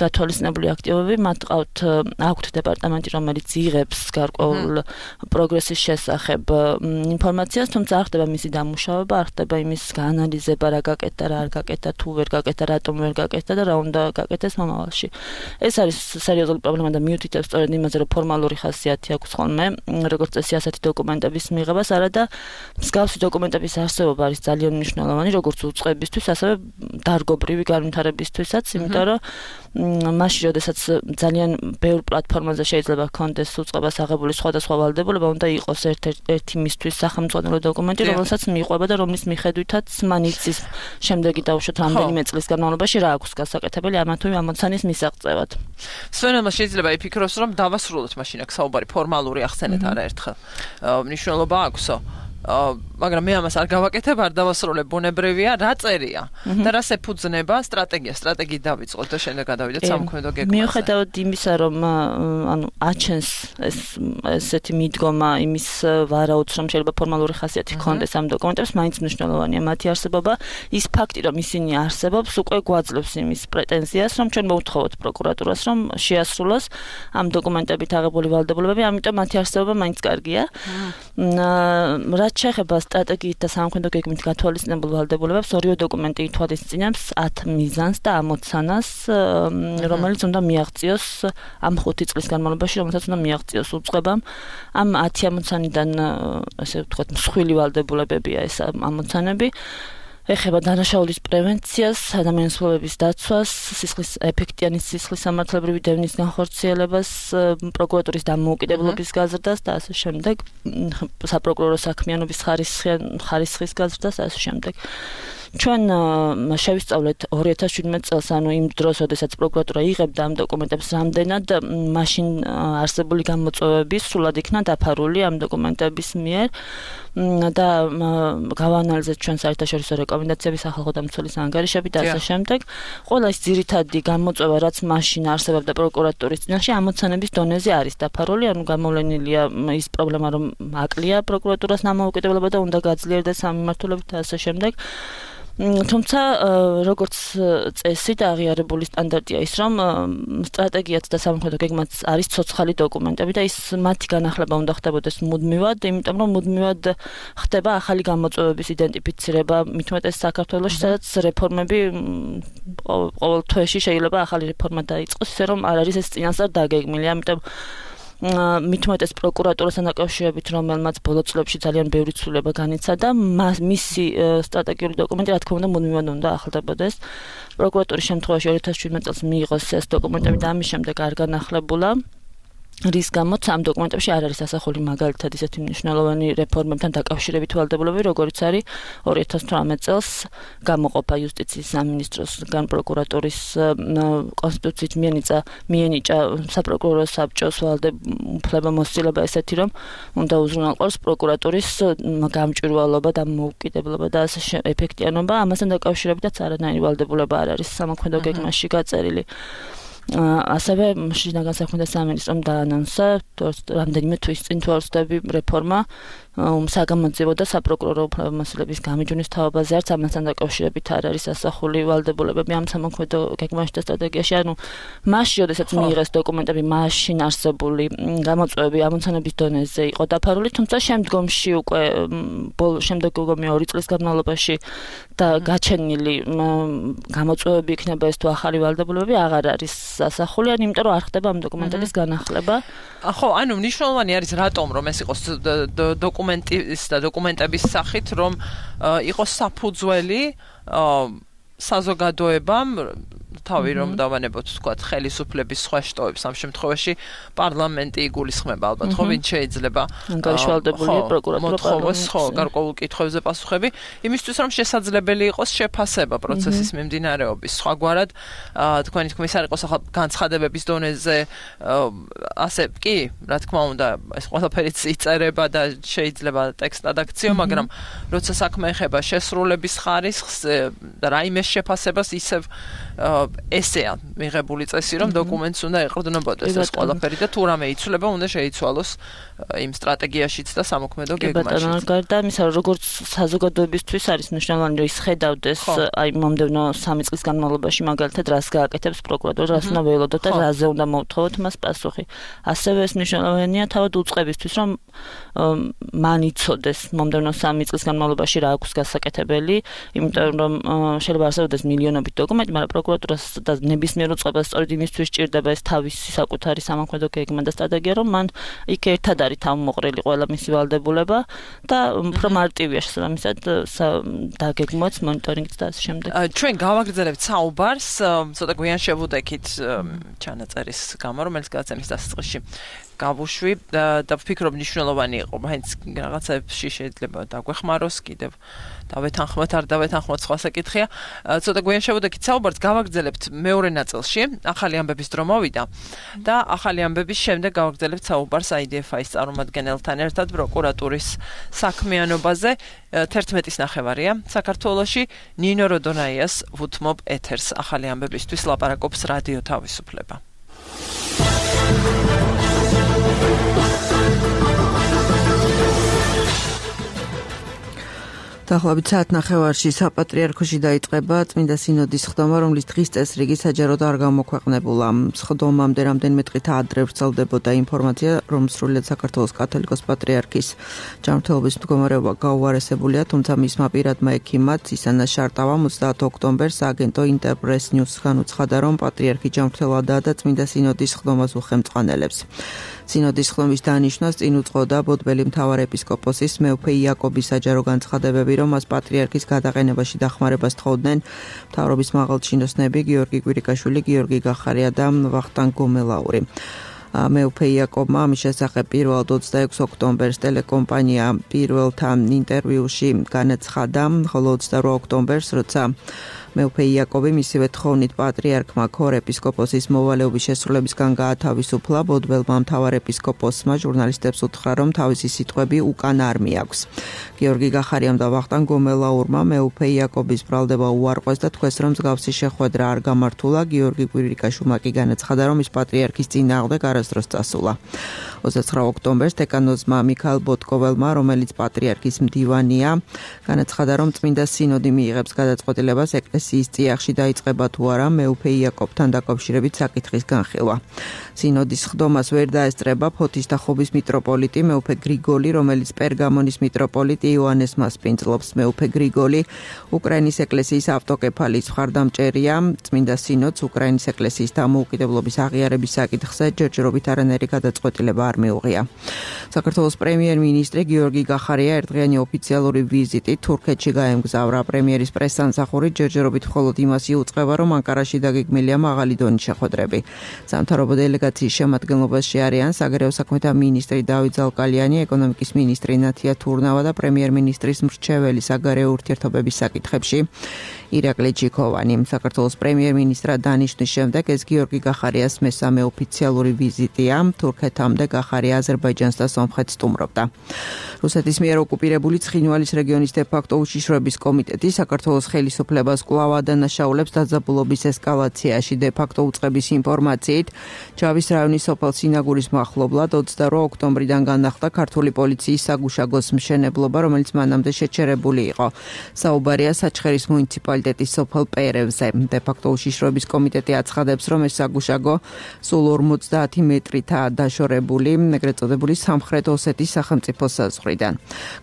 გათვალისწინებული აქტივობები. მათ აქვთ დეპარტამენტი, რომელიც იღებს გარკვეულ პროგრესის შესახებ ინფორმაციას, თუმცა არ ხდება მისი დამუშავება, არ ხდება იმის გაანალიზება, რა გაკეთდა გაკეთდა, რა არ გაკეთდა, თუ ვერ გაკეთდა, რატომ ვერ გაკეთდა და რა უნდა გაკეთდეს მომავალში. ეს არის სერიოზული პრობლემა და მიუთითებს სწორედ იმაზე, რომ ფორმალური ხასიათი აქვს ხოლმე, როგორც წესი ასეთი დოკუმენტების მიღებას, არა და მსგავსი დოკუმენტების არსებობა არის ძალიან მნიშვნელოვანი, როგორც უწყებისთვის, ასევე დარგობრივი განვითარებისთვისაც, იმიტომ რომ მაშინ, როდესაც ძალიან ბევრ პლატფორმაზე შეიძლება ჰქონდეს უწყებას აღებული სხვადასხვა ვალდებულება, უნდა იყოს ერთ-ერთი მისთვის სახელმწიფო დოკუმენტი, რომელსაც მიყვება და რომლის მიხედვითაც მან იცის შემდეგი დაუშვათ რამდენიმე წლის განმავლობაში რა აქვს გასაკეთებელი ამა თუ იმ ამოცანის მისაღწევად. სვენელმა შეიძლება იფიქროს, რომ დავასრულოთ მაშინ აქ საუბარი ფორმალური ახსენეთ არაერთხელ. მნიშვნელობა აქვსო. მაგრამ მე ამას არ გავაკეთებ, არ დავასრულებ, ბუნებრივია, რა წერია და რას ეფუძნება სტრატეგიით დავიწყოთ და შემდეგ გადავიდეთ სამოქმედო გეგმაზე. მიუხედავად იმისა, რომ აჩენს ესეთი მიდგომა იმის ვარაუდს, რომ შეიძლება ფორმალური ხასიათი ჰქონდეს ამ დოკუმენტებს, მაინც მნიშვნელოვანია მათი არსებობა. ის ფაქტი, რომ ისინი არსებობს, უკვე გვაძლევს იმის პრეტენზიას, რომ ჩვენ მოვთხოვოთ პროკურატურას, რომ შეასრულოს ამ დოკუმენტებით აღებული ვალდებულებები, ამიტომ მათი არსებობა მაინც კარგია. რაც შეეხება სტრატეგიით და სამოქმედო გეგმით გათვალისწინებულ ვალდებულებებს, ორივე დოკუმენტი ითვალისწინებს 10 მიზანს და ამოცანას, რომელიც უნდა მიაღწიოს ამ 5 წლის განმავლობაში, რომელსაც უნდა მიაღწიოს უწყებამ. ამ 10 ამოცანიდან, ასე ვთქვათ, მსხვილი ვალდებულებებია ეს ამოცანები. ეხება დანაშაულის პრევენციას, ადამიანის ცხოვრების დაცვას, ეფექტიანი სისხლის სამართლებრივი დევნის განხორციელებას, პროკურატურის დამოუკიდებლობის გაზრდას და ასე შემდეგ, საპროკურორო საქმიანობის ხარისხის გაზრდას და ასე შემდეგ. ჩვენ შევისწავლეთ 2017 წელს, ანუ იმ დროს, როდესაც პროკურატურა იღებდა ამ დოკუმენტებს, რამდენად მაშინ არსებული გამოწვევები სრულად იქნა დაფარული ამ დოკუმენტების მიერ და გავაანალიზეთ ჩვენ საერთაშორისო რეკომენდაციები, სახალხო დამცველის ანგარიშები და ასე შემდეგ. ყველა ის ძირითადი გამოწვევა, რაც მაშინ არსებობდა პროკურატურის წინაშე, ამოცანების დონეზე არის დაფარული, ანუ გამოვლენილია ის პრობლემა, რომ აკლია პროკურატურას დამოუკიდებლობა და უნდა გაძლიერდეს სამმართველობით და ასე შემდეგ. თუმცა როგორც წესი და აღიარებული სტანდარტია ის, რომ სტრატეგიაც და სამოქმედო გეგმაც არის ცოცხალი დოკუმენტები და ის მათი განახლება უნდა ხდებოდეს მუდმივად, იმიტომ რომ მუდმივად ხდება ახალი გამოწვევების იდენტიფიცირება, მით უმეტეს საქართველოში, სადაც რეფორმები ყოველ თვეში შეიძლება ახალი რეფორმა დაიწყოს, ისე რომ არ არის ეს წინასწარ დაგეგმილი, ამიტომ მით უმეტეს პროკურატურასთან დაკავშირებით, რომელმაც ბოლო წლებში ძალიან ბევრი ცვლილება განიცადა, მისი სტრატეგიული დოკუმენტი, რა თქმა უნდა, მუდმივად უნდა ახლდებოდეს. პროკურატურის შემთხვევაში 2017 წელს მიიღოს ეს დოკუმენტები და ამის შემდეგ არ განახლებულა. რის გამოც ამ დოკუმენტებში არ არის ასახული მაგალითად ისეთი მნიშვნელოვანი რეფორმებთან დაკავშირებით ვალდებულებები, როგორც არის 2018 წელს გამოყოფა იუსტიციის სამინისტროსგან პროკურატურის კონსტიტუციით მიენიჭა საპროკურორო საბჭოს უფლებამოსილება ესეთი, რომ უნდა უზრუნველყოს პროკურატურის გამჭვირვალობა და მოუკიდებლობა და ასე ეფექტიანობა. ამასთან დაკავშირებითაც არანაირი ვალდებულება არ არის სამოქმედო გეგმაში გაწერილი. ასევე შინაგან საქმეთა სამინისტრომ დაანონსა რამდენიმე თვის წინ თუ არ ვცდები რეფორმა საგამოძიებო და საპროკურორო უფლებამოსილების გამიჯვნის თაობაზე, არც ამასთან დაკავშირებით არ არის ასახული ვალდებულებები ამ სამოქმედო გეგმაში და სტრატეგიაში. ანუ მაშინ, როდესაც მიიღეს დოკუმენტები, მაშინ არსებული გამოწვევები ამოცანების დონეზე იყო დაფარული, თუმცა შემდგომში უკვე შემდგომი 2 წლის განმავლობაში და გაჩენილი გამოწვევები იქნება ეს თუ ახალი ვალდებულებები აღარ არის ასახული, იმიტომ რომ არ ხდება ამ დოკუმენტების განახლება. ხო, ანუ მნიშვნელოვანი არის რატომ რომ ეს იყოს დოკუმენტის და დოკუმენტების სახით, რომ იყოს საფუძველი საზოგადოებამ თავი რომ დავანებოთ, თქვათ, ხელისუფლების სხვა შტოებს, ამ შემთხვევაში პარლამენტი იგულისხმება ალბათ, ხო, ვინც შეიძლება ანგარიშვალდებულია პროკურატურა მოთხოვოს, ხო, გარკვეულ კითხვებზე პასუხები, იმისთვის რომ შესაძლებელი იყოს შეფასება პროცესის მიმდინარეობის. სხვაგვარად, თქვენი თქმის არ იყოს ახლა განცხადებების დონეზე, ასე კი, რა თქმა უნდა, ეს ყველაფერი იწერება და შეიძლება ტექსტად აქციო, მაგრამ როცა საქმე ეხება შესრულების ხარისხს და რაიმე შეფასებას, ისევ ესეა მიღებული წესი, რომ დოკუმენტს უნდა ეყრდნობოდეს ეს ყველაფერი და თუ რამე იცვლება, უნდა შეიცვალოს იმ სტრატეგიაშიც და სამოქმედო გეგმაში. გარდა ამისა, როგორც საზოგადოებისთვის არის მნიშვნელოვანი, რომ ის ხედავდეს აი მომდევნო 3 წლის განმავლობაში მაგალითად რას გააკეთებს პროკურატურა, რას უნდა ველოდოთ და რაზე უნდა მოვთხოვოთ მას პასუხი. ასევე ეს მნიშვნელოვანია თავად უწყებისთვის, რომ მან იცოდეს მომდევნო 3 წლის განმავლობაში რა აქვს გასაკეთებელი, იმიტომ რომ შეიძლება არსებობდეს მილიონობით დოკუმენტი, მაგრამ პროკურატურას და ნებისმიერ უწყებას სწორედ იმისთვის სჭირდება ეს თავისი საკუთარი სამოქმედო გეგმა და სტრატეგია, რომ მან იქ ერთად არის თავმოყრილი ყველა მისი ვალდებულება და უფრო მარტივია შესაბამისად დაგეგმოთ მონიტორინგიც და ასე შემდეგ. ჩვენ გავაგრძელებთ საუბარს ცოტა გვიან შევუდექით ჩანაწერის გამო, რომელიც გადაცემის დასაწყისში გავუშვი და ვფიქრობ მნიშვნელოვანი იყო, მაინც რაღაცებში შეიძლება დაგვეხმაროს კიდევ დავეთანხმოთ, არ დავეთანხმოთ, სხვა საკითხია. ცოტა გვიან შევუდექით საუბარს, გავაგრძელებთ მეორე ნაწილში, ახალი ამბების დრო მოვიდა და ახალი ამბების შემდეგ გავაგრძელებთ საუბარს IDF-ის წარმომადგენელთან ერთად პროკურატურის საქმიანობაზე. 11-ის ნახევარია საქართველოში ნინო როდონაიას ვუთმობ ეთერს ახალი ამბებისთვის ლაპარაკობს რადიო თავისუფლება. დაახლოებით საათნახევარში საპატრიარქოში დაიწყება წმინდა სინოდის ხდომა, რომლის დღის წესრიგი საჯაროდ არ გამოქვეყნებულა. ხდომამდე რამდენიმე დღით ადრე ვრცელდებოდა ინფორმაცია, რომ სრულიად საქართველოს კათოლიკოს პატრიარქის ჯანმრთელობის მდგომარეობა გაუარესებულია, თუმცა მისმა პირადმა ექიმად ისანა შარტავამ 30 ოქტომბერს აგენტო ინტერპრეს ნიუსს განუცხადა, რომ პატრიარქი ჯანმრთელადაა და წმინდა სინოდის ხდომას უხელმწყალებს. სინოდის ხდომის დანიშვნას წინ უძღოდა ბოდბელი მთავარეპისკოპოსის მეუფე იაკობის საჯარო განცხადებები, რომ მას პატრიარქის გადაყენებაში დახმარებას თხოვდნენ მთავრობის მაღალჩინოსნები გიორგი კვირიკაშვილი, გიორგი გახარია და ვახტანგ გომელაური. მეუფე იაკობმა ამის შესახებ პირველად 26 ოქტომბერს ტელეკომპანია პირველთან ინტერვიუში განაცხადა, ხოლო 28 ოქტომბერს, როცა მეუფე იაკობი მისივე თხოვნით პატრიარქმა ქორ ეპისკოპოსის მოვალეობის შესრულებისგან გაათავისუფლა, ბოდბელმა მთავარეპისკოპოსმა ჟურნალისტებს უთხრა, რომ თავისი სიტყვები უკან არ მიაქვს. გიორგი გახარიამ და ვახტანგ გომელაურმა მეუფე იაკობის ბრალდება უარყვეს და თქვეს, რომ მსგავსი შეხვედრა არ გამართულა. გიორგი კვირიკაშვილმა კი განაცხადა, რომ ის პატრიარქის წინააღმდეგ არასდროს წასულა. 29 ოქტომბერს დეკანოზმა მიქაელ ბოტკოველმა, რომელიც პატრიარქის მდივანია, განაცხადა, რომ წმინდა სინოდი მიიღებს გადაწყვეტილებას ეკლესიის წიაღში დაიწყება თუ არა მეუფე იაკობთან დაკავშირებით საკითხის განხილვა. სინოდის ხდომას ვერ დაესწრება ფოთის და ხობის მიტროპოლიტი მეუფე გრიგოლი, რომელიც პერგამონის მიტროპოლიტ იოანეს მასპინძლობს. მეუფე გრიგოლი უკრაინის ეკლესიის ავტოკეფალის მხარდამჭერია. წმინდა სინოდს უკრაინის ეკლესიის დამოუკიდებლობის აღიარების საკითხზე ჯერჯერობით არანაირი გადაწყვეტილება არ მიუღია. საქართველოს პრემიერ-მინისტრი გიორგი გახარია ერთდღიანი ოფიციალური ვიზიტით თურქეთში გაემგზავრა. პრემიერის პრესსამსახური ჯერჯერობით მხოლოდ იმას იუწყება, რომ ანკარაში დაგეგმილია მაღალი დონის შეხვედრები. სამთავრობო დელეგაციის შემადგენლობაში არიან საგარეო საქმეთა მინისტრი დავით ზალკალიანი, ეკონომიკის მინისტრი ნათია თურნავა და პრემიერ-მინისტრის მრჩეველი საგარეო ურთიერთობების საკითხებში ირაკლი ჯიქოვანი. საქართველოს პრემიერ-მინისტრად დანიშნვის შემდეგ ეს გიორგი გახარიას მესამე ოფიციალური ვიზიტია. თურქეთამდე გახარია აზერბაიჯანს და სომხეთს სტუმრობდა. რუსეთის მიერ ოკუპირებული ცხინვალის რეგიონის დე-ფაქტო უშიშროების კომიტეტი საქართველოს ხელისუფლებას კვლავ ადანაშაულებს დაძაბულობის ესკალაციაში. დე-ფაქტო უწყების ინფორმაციით, ჯავის რაიონის სოფელ სინაგურის მახლობლად 28 ოქტომბრიდან განახლდა ქართული პოლიციის საგუშაგოს მშენებლობა, რომელიც მანამდე შეჩერებული იყო. საუბარია საჩხერის მუნიციპალიტეტის სოფელ პერევზე. დე-ფაქტო უშიშროების კომიტეტი აცხადებს, რომ ეს საგუშაგო სულ 50 მეტრითაა დაშორებული, ეგრეთ წოდებული სამხრეთ ოსეთის სახელმწიფო საზღვრიდან.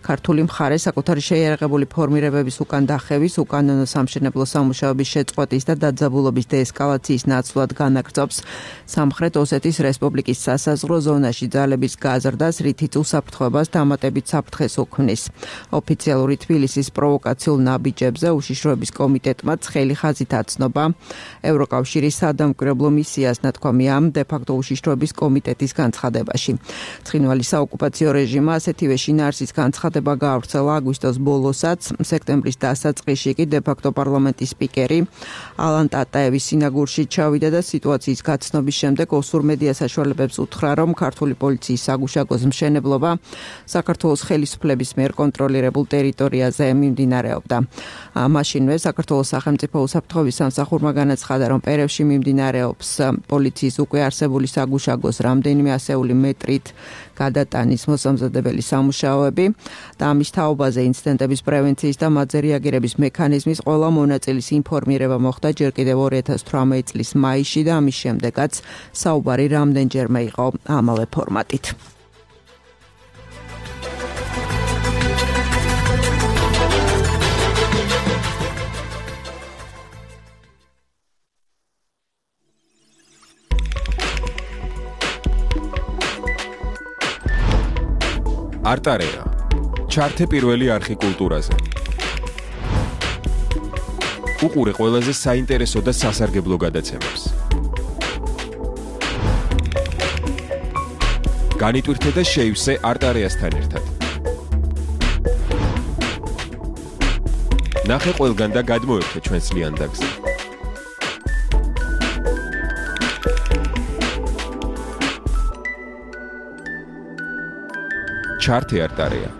ქართული მხარე საკუთარი შეიარაღებული ფორმირებების უკან დახევის, უკანონო სამშენებლო სამუშაოების შეწყვეტის და დაძაბულობის დეესკალაციის ნაცვლად განაგრძობს სამხრეთ ოსეთის რესპუბლიკის სასაზღვრო ზონაში ძალების გაზრდას, რითიც უსაფრთხოებას დამატებით საფრთხეს უქმნის. ოფიციალური თბილისის პროვოკაციულ ნაბიჯებზე უშიშროების კომიტეტმა ცხელი ხაზით აცნობა ევროკავშირის სადამკვირვებლო მისიას, ნათქვამია დე-ფაქტო უშიშროების კომიტეტის განცხადებაში. ცხინვალის საოკუპაციო რეჟიმმა ასეთივე შინაარსის განცხადება გაავრცელა აგვისტოს ბოლოსაც. სექტემბრის დასაწყისში კი დე-ფაქტო პარლამენტის სპიკერი ალან ტატაევი სინაგურში ჩავიდა და სიტუაციის გაცნობის შემდეგ ოსურ მედია საშუალებებს უთხრა, რომ ქართული პოლიციის საგუშაგოს მშენებლობა საქართველოს ხელისუფლების მიერ კონტროლირებულ ტერიტორიაზე მიმდინარეობდა. მაშინვე საქართველოს სახელმწიფო უსაფრთხოების სამსახურმა განაცხადა, რომ პერევში მიმდინარეობს პოლიციის უკვე არსებული საგუშაგოს რამდენიმე ასეული მეტრით გადატანის მოსამზადებელი სამუშაოები და ამის თაობაზე ინციდენტების პრევენციის და მათზე რეაგირების მექანიზმის ყველა მონაწილის ინფორმირება მოხდა ჯერ კიდევ 2018 წლის მაისში და ამის შემდეგაც საუბარი რამდენჯერმე იყო ამავე ფორმატით. არტარეა. ჩართე პირველი არხი კულტურაზე. უყურე ყველაზე საინტერესო და სასარგებლო გადაცემებს. განიტვირთე და შეივსე არტარეასთან ერთად. ნახე ყველგან და გადმოერთე ჩვენს ლიანდაგზე. ჩართე არტარეა.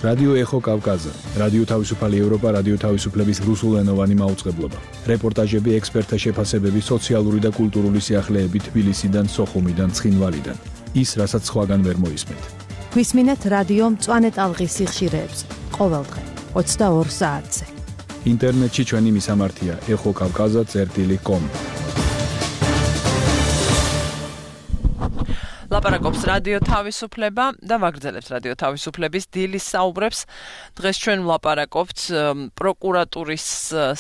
რადიო ეხო კავკაზა, რადიო თავისუფალი ევროპა, რადიო თავისუფლების რუსულენოვანი მაუწყებლობა. რეპორტაჟები, ექსპერტთა შეფასებები, სოციალური და კულტურული სიახლეები თბილისიდან, სოხუმიდან, ცხინვალიდან. ის, რასაც სხვაგან ვერ მოისმენთ. გვისმინეთ რადიო მწვანე ტალღის სიხშირეებს ყოველდღე 22 საათზე. ინტერნეტში ჩვენი მისამართია exokavkaza.com. ლაპარაკობს რადიო თავისუფლება და ვაგრძელებთ რადიო თავისუფლების დილის საუბრებს. დღეს ჩვენ ვლაპარაკობთ პროკურატურის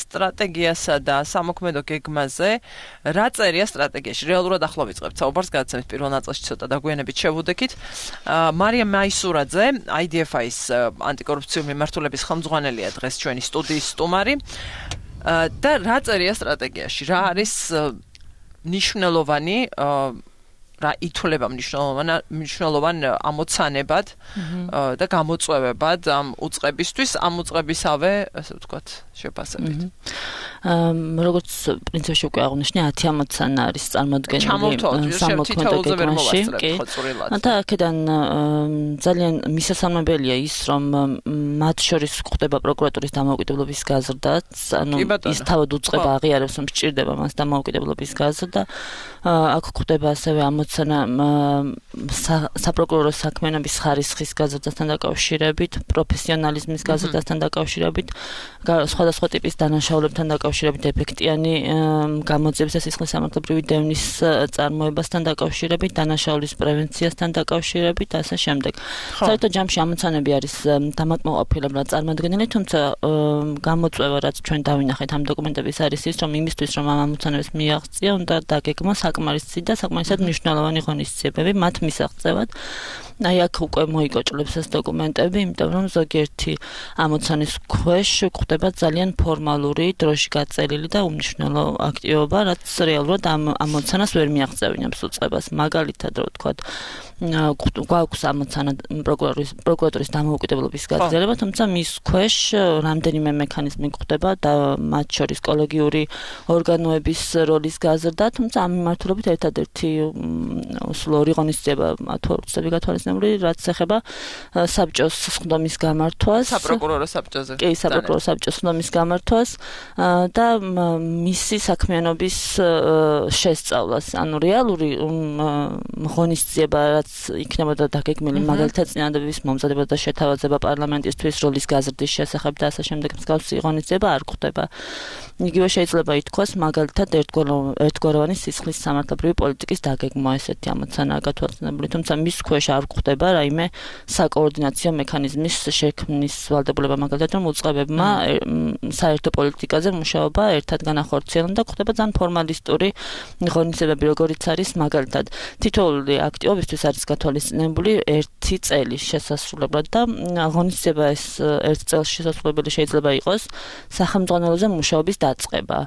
სტრატეგიასა და სამოქმედო გეგმაზე. რა წერია სტრატეგიაში? რეალურად ახლა ვიწყებთ საუბარს, გადაცემის პირველ ნაწილში ცოტა დაგვიანებით შევუდექით. მარია მაისურაძე, IDFI-ის ანტიკორუფციული მიმართულების ხელმძღვანელია დღეს ჩვენი სტუდიის სტუმარი. და რა წერია სტრატეგიაში? რა არის მნიშვნელოვანი რა ითვლება მნიშვნელოვან ამოცანებად და გამოწვევებად ამ უწყებისთვის, ამ უწყებისავე, ასე ვთქვათ, შეფასებით. როგორც პრინციპში უკვე აღნიშნე, 10 ამოცანა არის წარმოდგენილი სამოქმედო გეგმაში. და აქედან ძალიან მისასალმებელია ის, რომ მათ შორის გვხდება პროკურატურის დამოუკიდებლობის გაზრდაც, ანუ ის თავად უწყება აღიარებს, რომ სჭირდება მას დამოუკიდებლობის გაზრდა. აქ გვხდება ასევე საპროკურორო საქმიანობის ხარისხის გაზრდასთან დაკავშირებით, პროფესიონალიზმის გაზრდასთან დაკავშირებით, სხვადასხვა ტიპის დანაშაულებთან დაკავშირებით, ეფექტიანი გამოძიების და სისხლის სამართლებრივი დევნის წარმოებასთან დაკავშირებით, დანაშაულის პრევენციასთან დაკავშირებით და ასე შემდეგ. საერთოდ ჯამში ამოცანები არის დამაკმაყოფილებლად წარმოდგენილი, თუმცა გამოწვევა, რაც ჩვენ დავინახეთ ამ დოკუმენტების არის ის, რომ იმისთვის, რომ ამ ამოცანებს მიაღწია, უნდა დაგეგმოს საკმარისი და საკმარისად მნიშვნელოვანი ღონისძიებები მათ მისაღწევად. აი აქ უკვე მოიკოჭლებს ეს დოკუმენტები, იმიტომ რომ ზოგიერთი ამოცანის ქვეშ გვხდება ძალიან ფორმალური, დროში გაწერილი და უმნიშვნელო აქტივობა, რაც რეალურად ამ ამოცანას ვერ მიაღწევინებს უწყებას. მაგალითად, რო ვთქვათ, გვაქვს ამოცანა პროკურატურის დამოუკიდებლობის გაგრძელება, თუმცა მის ქვეშ რამდენიმე მექანიზმი გვხდება და მათ შორის კოლეგიური ორგანოების როლის გაზრდა, თუმცა ამ მიმართულებით ერთადერთი სულ ორი ღონისძიება უცდები გათვალისწინებული, რაც ეხება საბჭოს სხდომის გამართვას, საპროკურორო საბჭოზე. კი, საპროკურორო საბჭოს სხდომის გამართვას და მისი საქმიანობის შესწავლას, ანუ რეალური ღონისძიება, რაც იქნებოდა დაგეგმილი მაგალითად წინადადების მომზადება და შეთავაზება პარლამენტისთვის როლის გაზრდის შესახებ და ასე შემდეგ მსგავსი ღონისძიება არ გვხდება. იგივე შეიძლება ითქვას მაგალითად ერთგვაროვანი სისხლის სამართლებრივი პოლიტიკის დაგეგმვა, ესეთი ამოცანაა გათვალისწინებული, თუმცა მის ქვეშ არ გვხდება რაიმე საკოორდინაციო მექანიზმის შექმნის ვალდებულება, მაგალითად რომ უწყებებმა საერთო პოლიტიკაზე მუშაობა ერთად განახორციელონ და გვხდება ძალიან ფორმალისტური ღონისძიებები, როგორიც არის მაგალითად თითოეული აქტივობისთვის არის გათვალისწინებული 1 წელი შესასრულებლად და ღონისძიება ეს 1 წელს შესასრულებელი შეიძლება იყოს სახელმძღვანელოზე მუშაობის დაწყება,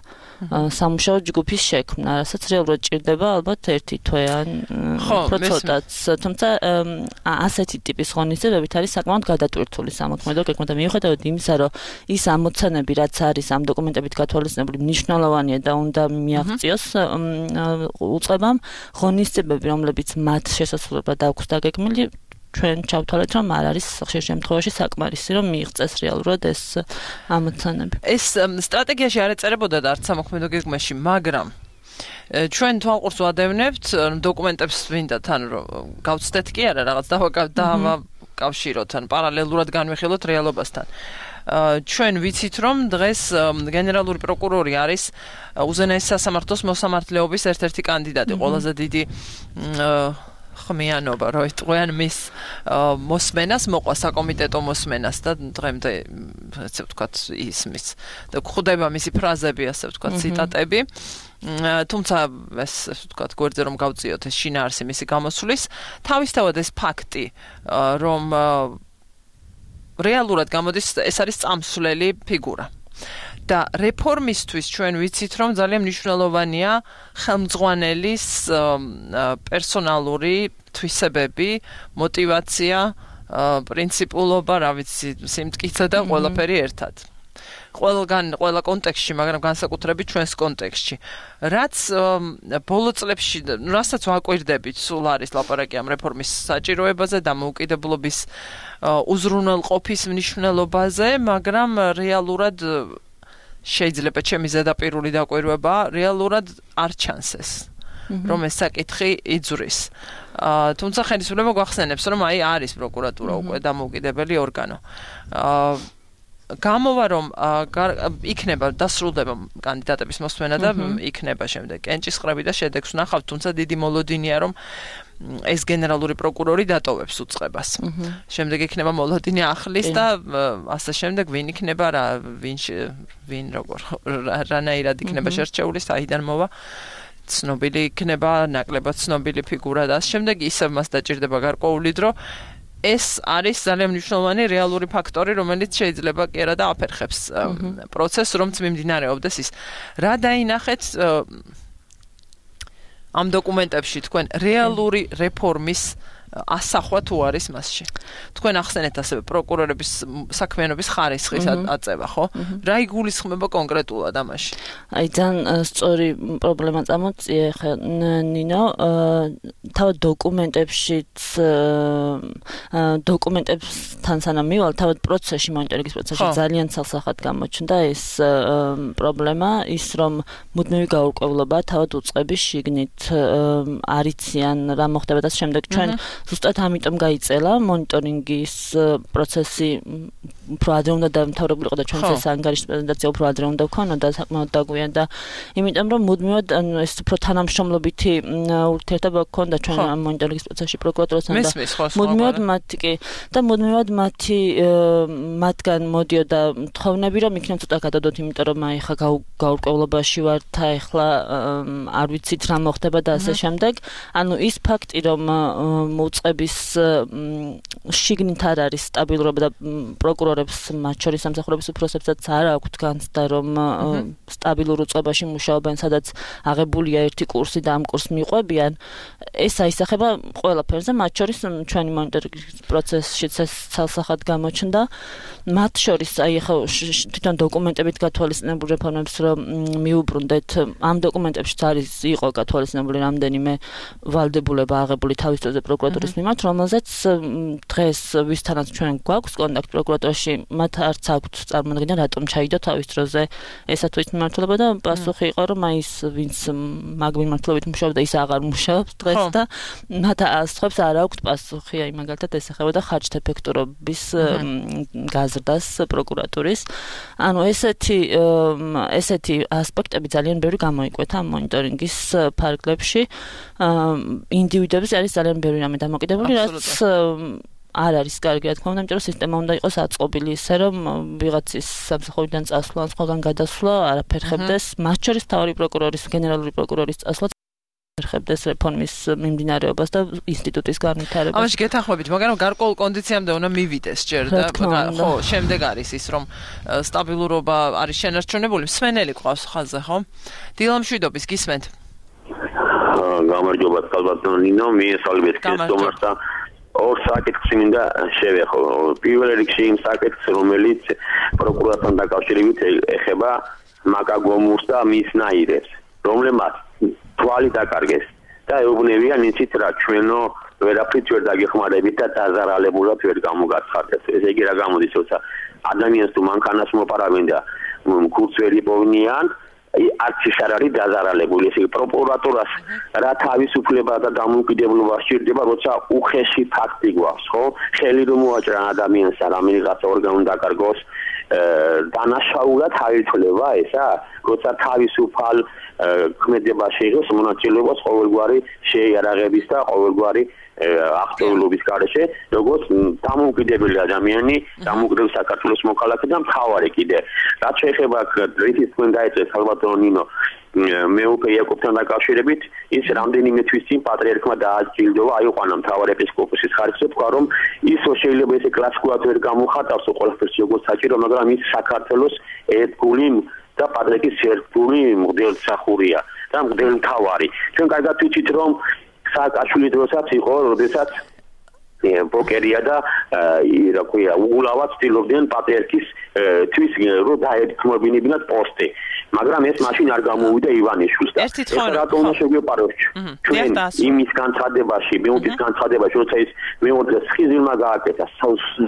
სამუშაო ჯგუფის შექმნა, რასაც რეალურად ჭირდება ალბათ 1 თვე ან უფრო ცოტაც, თუმცა ასეთი ტიპის ღონისძიებებით არის საკმაოდ გადატვირთული სამოქმედო გეგმა და მიუხედავად იმისა, რომ ის ამოცანები, რაც არის ამ დოკუმენტებით გათვალისწინებული, მნიშვნელოვანია და უნდა მიაღწიოს უწყებამ, ღონისძიებები, რომლებიც მათ შესასრულებლად აქვს დაგეგმილი, ჩვენ ჩავთვალეთ, რომ არ არის ხშირ შემთხვევაში საკმარისი, რომ მიიღწეს რეალურად ეს ამოცანები. ეს სტრატეგიაში არ ეწერებოდა და არც სამოქმედო გეგმაში, მაგრამ ჩვენ თვალყურს ვადევნებთ დოკუმენტებს მინდა თან რომ გავცდეთ კი არა რაღაც დავაკავშიროთ ან პარალელურად განვიხილოთ რეალობასთან. ჩვენ ვიცით რომ დღეს გენერალური პროკურორი არის უზენაეს სასამართლოს მოსამართლეობის ერთ-ერთი კანდიდატი, ყველაზე დიდი ხმიანობა, რომ იტყვიან მის მოსმენას, მოყვა საკომიტეტო მოსმენას და დღემდე ასე ვთქვათ ისმის და გვხვდება მისი ფრაზები, ასე ვთქვათ, ციტატები. თუმცა ეს ასე ვთქვათ, გვერდზე რომ გავწიოთ ეს შინაარსი მისი გამოსვლის, თავისთავად ეს ფაქტი, რომ რეალურად გამოდის ეს არის წამსვლელი ფიგურა. და რეფორმისთვის ჩვენ ვიცით რომ ძალიან მნიშვნელოვანია ხელმძღვანელის პერსონალური თვისებები, мотиваცია, პრინციპულობა, რა ვიცი, სიმტკიცე და ყველაფერი ერთად. ყველა კონტექსტში, მაგრამ განსაკუთრებით ჩვენს კონტექსტში. რაც ბოლო წლებში, რასაც ვაკვირდებით, სულ არის ლაპარაკი ამ რეფორმის საჭიროებაზე და მოუკიდებლობის უზრუნველყოფის მნიშვნელობაზე, მაგრამ რეალურად შეიძლება ჩემი ზედაპირული დაკვირვება, რეალურად არ ჩანს ეს, რომ ეს საკითხი იძვრის. თუმცა ხელისუფლება გვახსენებს, რომ აი არის პროკურატურა უკვე დამოუკიდებელი ორგანო. გამოვა რომ იქნება დასრულდება კანდიდატების მოსმენა და იქნება შემდეგ კენჭისყრები და შედეგს ვნახავთ, თუმცა დიდი მოლოდინია რომ ეს გენერალური პროკურორი დატოვებს უწყებას. შემდეგ იქნება მოლოდინი ახლის და ასე შემდეგ ვინ იქნება რა ვინ როგორ რანაირად იქნება შერჩეული, საიდან მოვა ცნობილი იქნება, ნაკლებად ცნობილი ფიგურა და შემდეგ ისევ მას დაჭირდება გარკვეული დრო. ეს არის ძალიან მნიშვნელოვანი რეალური ფაქტორი, რომელიც შეიძლება კი არა და აფერხებს პროცესს, რომც მიმდინარეობდეს ის. რა დაინახეთ ამ დოკუმენტებში თქვენ რეალური რეფორმის ასახვა თუ არის მასში. თქვენ ახსენეთ ასევე პროკურორების საქმიანობის ხარისხის აწევა, ხო? რა იგულისხმება კონკრეტულად ამაში? აი ძალიან სწორი პრობლემა წამოწია ხა ნინო, თავად დოკუმენტებთან სანამ მივალ, თავად პროცესში, მონიტორინგის პროცესში ძალიან ცალსახად გამოჩნდა ეს პრობლემა, ის რომ მუდმივი გაურკვევლობა თავად უწყების შიგნით არიციან რა მოხდება და შემდეგ ჩვენ ზუსტად ამიტომ გაიწელა მონიტორინგის პროცესი უფრო ადრე უნდა დამთავრებული იყო და ჩვენს ეს ანგარიშის პრეზენტაცია უფრო ადრე უნდა ვქონოდა საკმაოდ დაგვიანდა, იმიტომ რომ მუდმივად ეს უფრო თანამშრომლობითი ურთიერთობა გქონდა ჩვენ ამ მონიტორინგის პროცესში პროკურატურასთან და მუდმივად მუდმივად მათგან მოდიოდა თხოვნები რომ იქნებ ცოტა გადადოთ, იმიტომ რომ აი ხა გაურკვევლობაში ვართ, ახლა არ ვიცით რა მოხდება და ასე შემდეგ. ანუ ის ფაქტი რომ უწყების შიგნით არ არის სტაბილურობა და პროკურორებს, მათ შორის სამსახურების უფროსებსაც არ აქვთ განცდა რომ სტაბილურ უწყებაში მუშაობენ, სადაც აღებულია ერთი კურსი და ამ კურსს მიყვებიან. ეს აისახება ყველაფერზე, მათ შორის ჩვენი მონიტორინგის პროცესშიც ეს ცალსახად გამოჩნდა. მათ შორის აი ახლა თვითონ დოკუმენტებით გათვალისწინებულ რეფორმებს რომ მიუბრუნდეთ, ამ დოკუმენტებშიც იყო გათვალისწინებული რამდენიმე ვალდებულება აღებული თავის დროზე პროკურატურის მიმართ, რომელზეც დღეს ვისთანაც ჩვენ გვაქვს კონტაქტ პროკურატურაში, მათ არც აქვთ წარმოდგენა რატომ ჩაიდო თავის დროზე ესა თუ ის მიმართულება და პასუხი იყო რომ აი ის ვინც მაგ მიმართულებით მუშაობდა ის აღარ მუშაობს დღეს და მათ ასხებს არ აქვთ პასუხი, აი მაგალითად ეს ეხება და ხარჯთა ეფექტურობის გაზრდას პროკურატურის. ანუ ესეთი ასპექტები ძალიან ბევრი გამოიკვეთა ამ მონიტორინგის ფარგლებში. ინდივიდების არის ძალიან ბევრი რამე დამოკიდებული, რაც არ არის კარგი, რა თქმა უნდა, იმიტომ რომ სისტემა უნდა იყოს აწყობილი ისე, რომ ვიღაცის სამსახურიდან წასვლა, ან სხვაგან გადასვლა არაფერ ხებდეს, მათ შორის მთავარი პროკურორის, გენერალური პროკურორის წასვლა ხებდეს რეფორმის მიმდინარეობას და ინსტიტუტის განვითარებას. ამაში გეთანხმებით, მაგრამ გარკვეულ კონდიციამდე უნდა მივიდეს ჯერ და ხო, შემდეგ არის ის, რომ სტაბილურობა არის შენარჩუნებული, მსმენელი ყავს ხაზზე, ხო? დილამშვიდობის გისმენთ. გამარჯობა, ხალბატონო ნინო, მიესალმებით ქრისტომას და ორ საკითხს მინდა შევეხო. პირველ რიგში იმ საკითხს, რომელიც პროკურატურთან დაკავშირებით ეხება მაკაგომურს და მის ნაირებს, რომლებმაც თვალი დაკარგეს და ეუბნებიან იცით რა ჩვენო ვერაფრით ვერ დაგეხმარებით და დაზარალებულად ვერ გამოგაცხადეთ. ესე იგი რა გამოდის, როცა ადამიანს თუ მანქანას მოპარავენ და ქურდს ვერ იპოვნიან, არც ის არ არის დაზარალებული. ესე იგი პროკურატურას რა თავისუფლება და დამოუკიდებლობა სჭირდება, როცა უხეში ფაქტი გვაქვს, ხო? ხელი რომ მოაჭრა ადამიანს და რამენიღაცა ორგანო დაკარგოს, დანაშაულად აითვლება ესა, როცა თავისუფალ ქმედებაში იღებს მონაწილეობას ყოველგვარი შეიარაღების და ყოველგვარი აქტიურობის გარეშე, როგორც დამოუკიდებელი ადამიანი, დამოუკიდებელი საქართველოს მოქალაქე და მთავარი კიდე. რაც შეეხება რითიც თქვენ დაეწევთ ალბათ ნინო მეუფე იაკობთან დაკავშირებით, ის რამდენიმე თვის წინ პატრიარქმა დააჯილდოვა აიყვანა მთავარ ეპისკოპოსის ხარისხზე, თქვა რომ ისო შეიძლება ესე კლასიკურად ვერ გამოხატავს ყველაფერს როგორც საჭირო, მაგრამ ის საქართველოს ერთგული და პატრიარქის ერთგული მღვდელმსახურია და მღვდელმთავარი. ჩვენ კარგად ვიცით რომ სააკაშვილი დროსაც იყო, როდესაც ბოკერია და რა ქვია, უგულავად ცდილობდნენ პატრიარქის თვის რო დაეთქმებინებინათ პოსტი. მაგრამ ეს მაშინ არ გამოვიდა ივანიშვილს და ეს რატომ უნდა შეგვეპაროს ჩვენ იმის განცხადებაში, მეუფის განცხადებაში, როცა ის მეორე სხიზილმა გააკეთა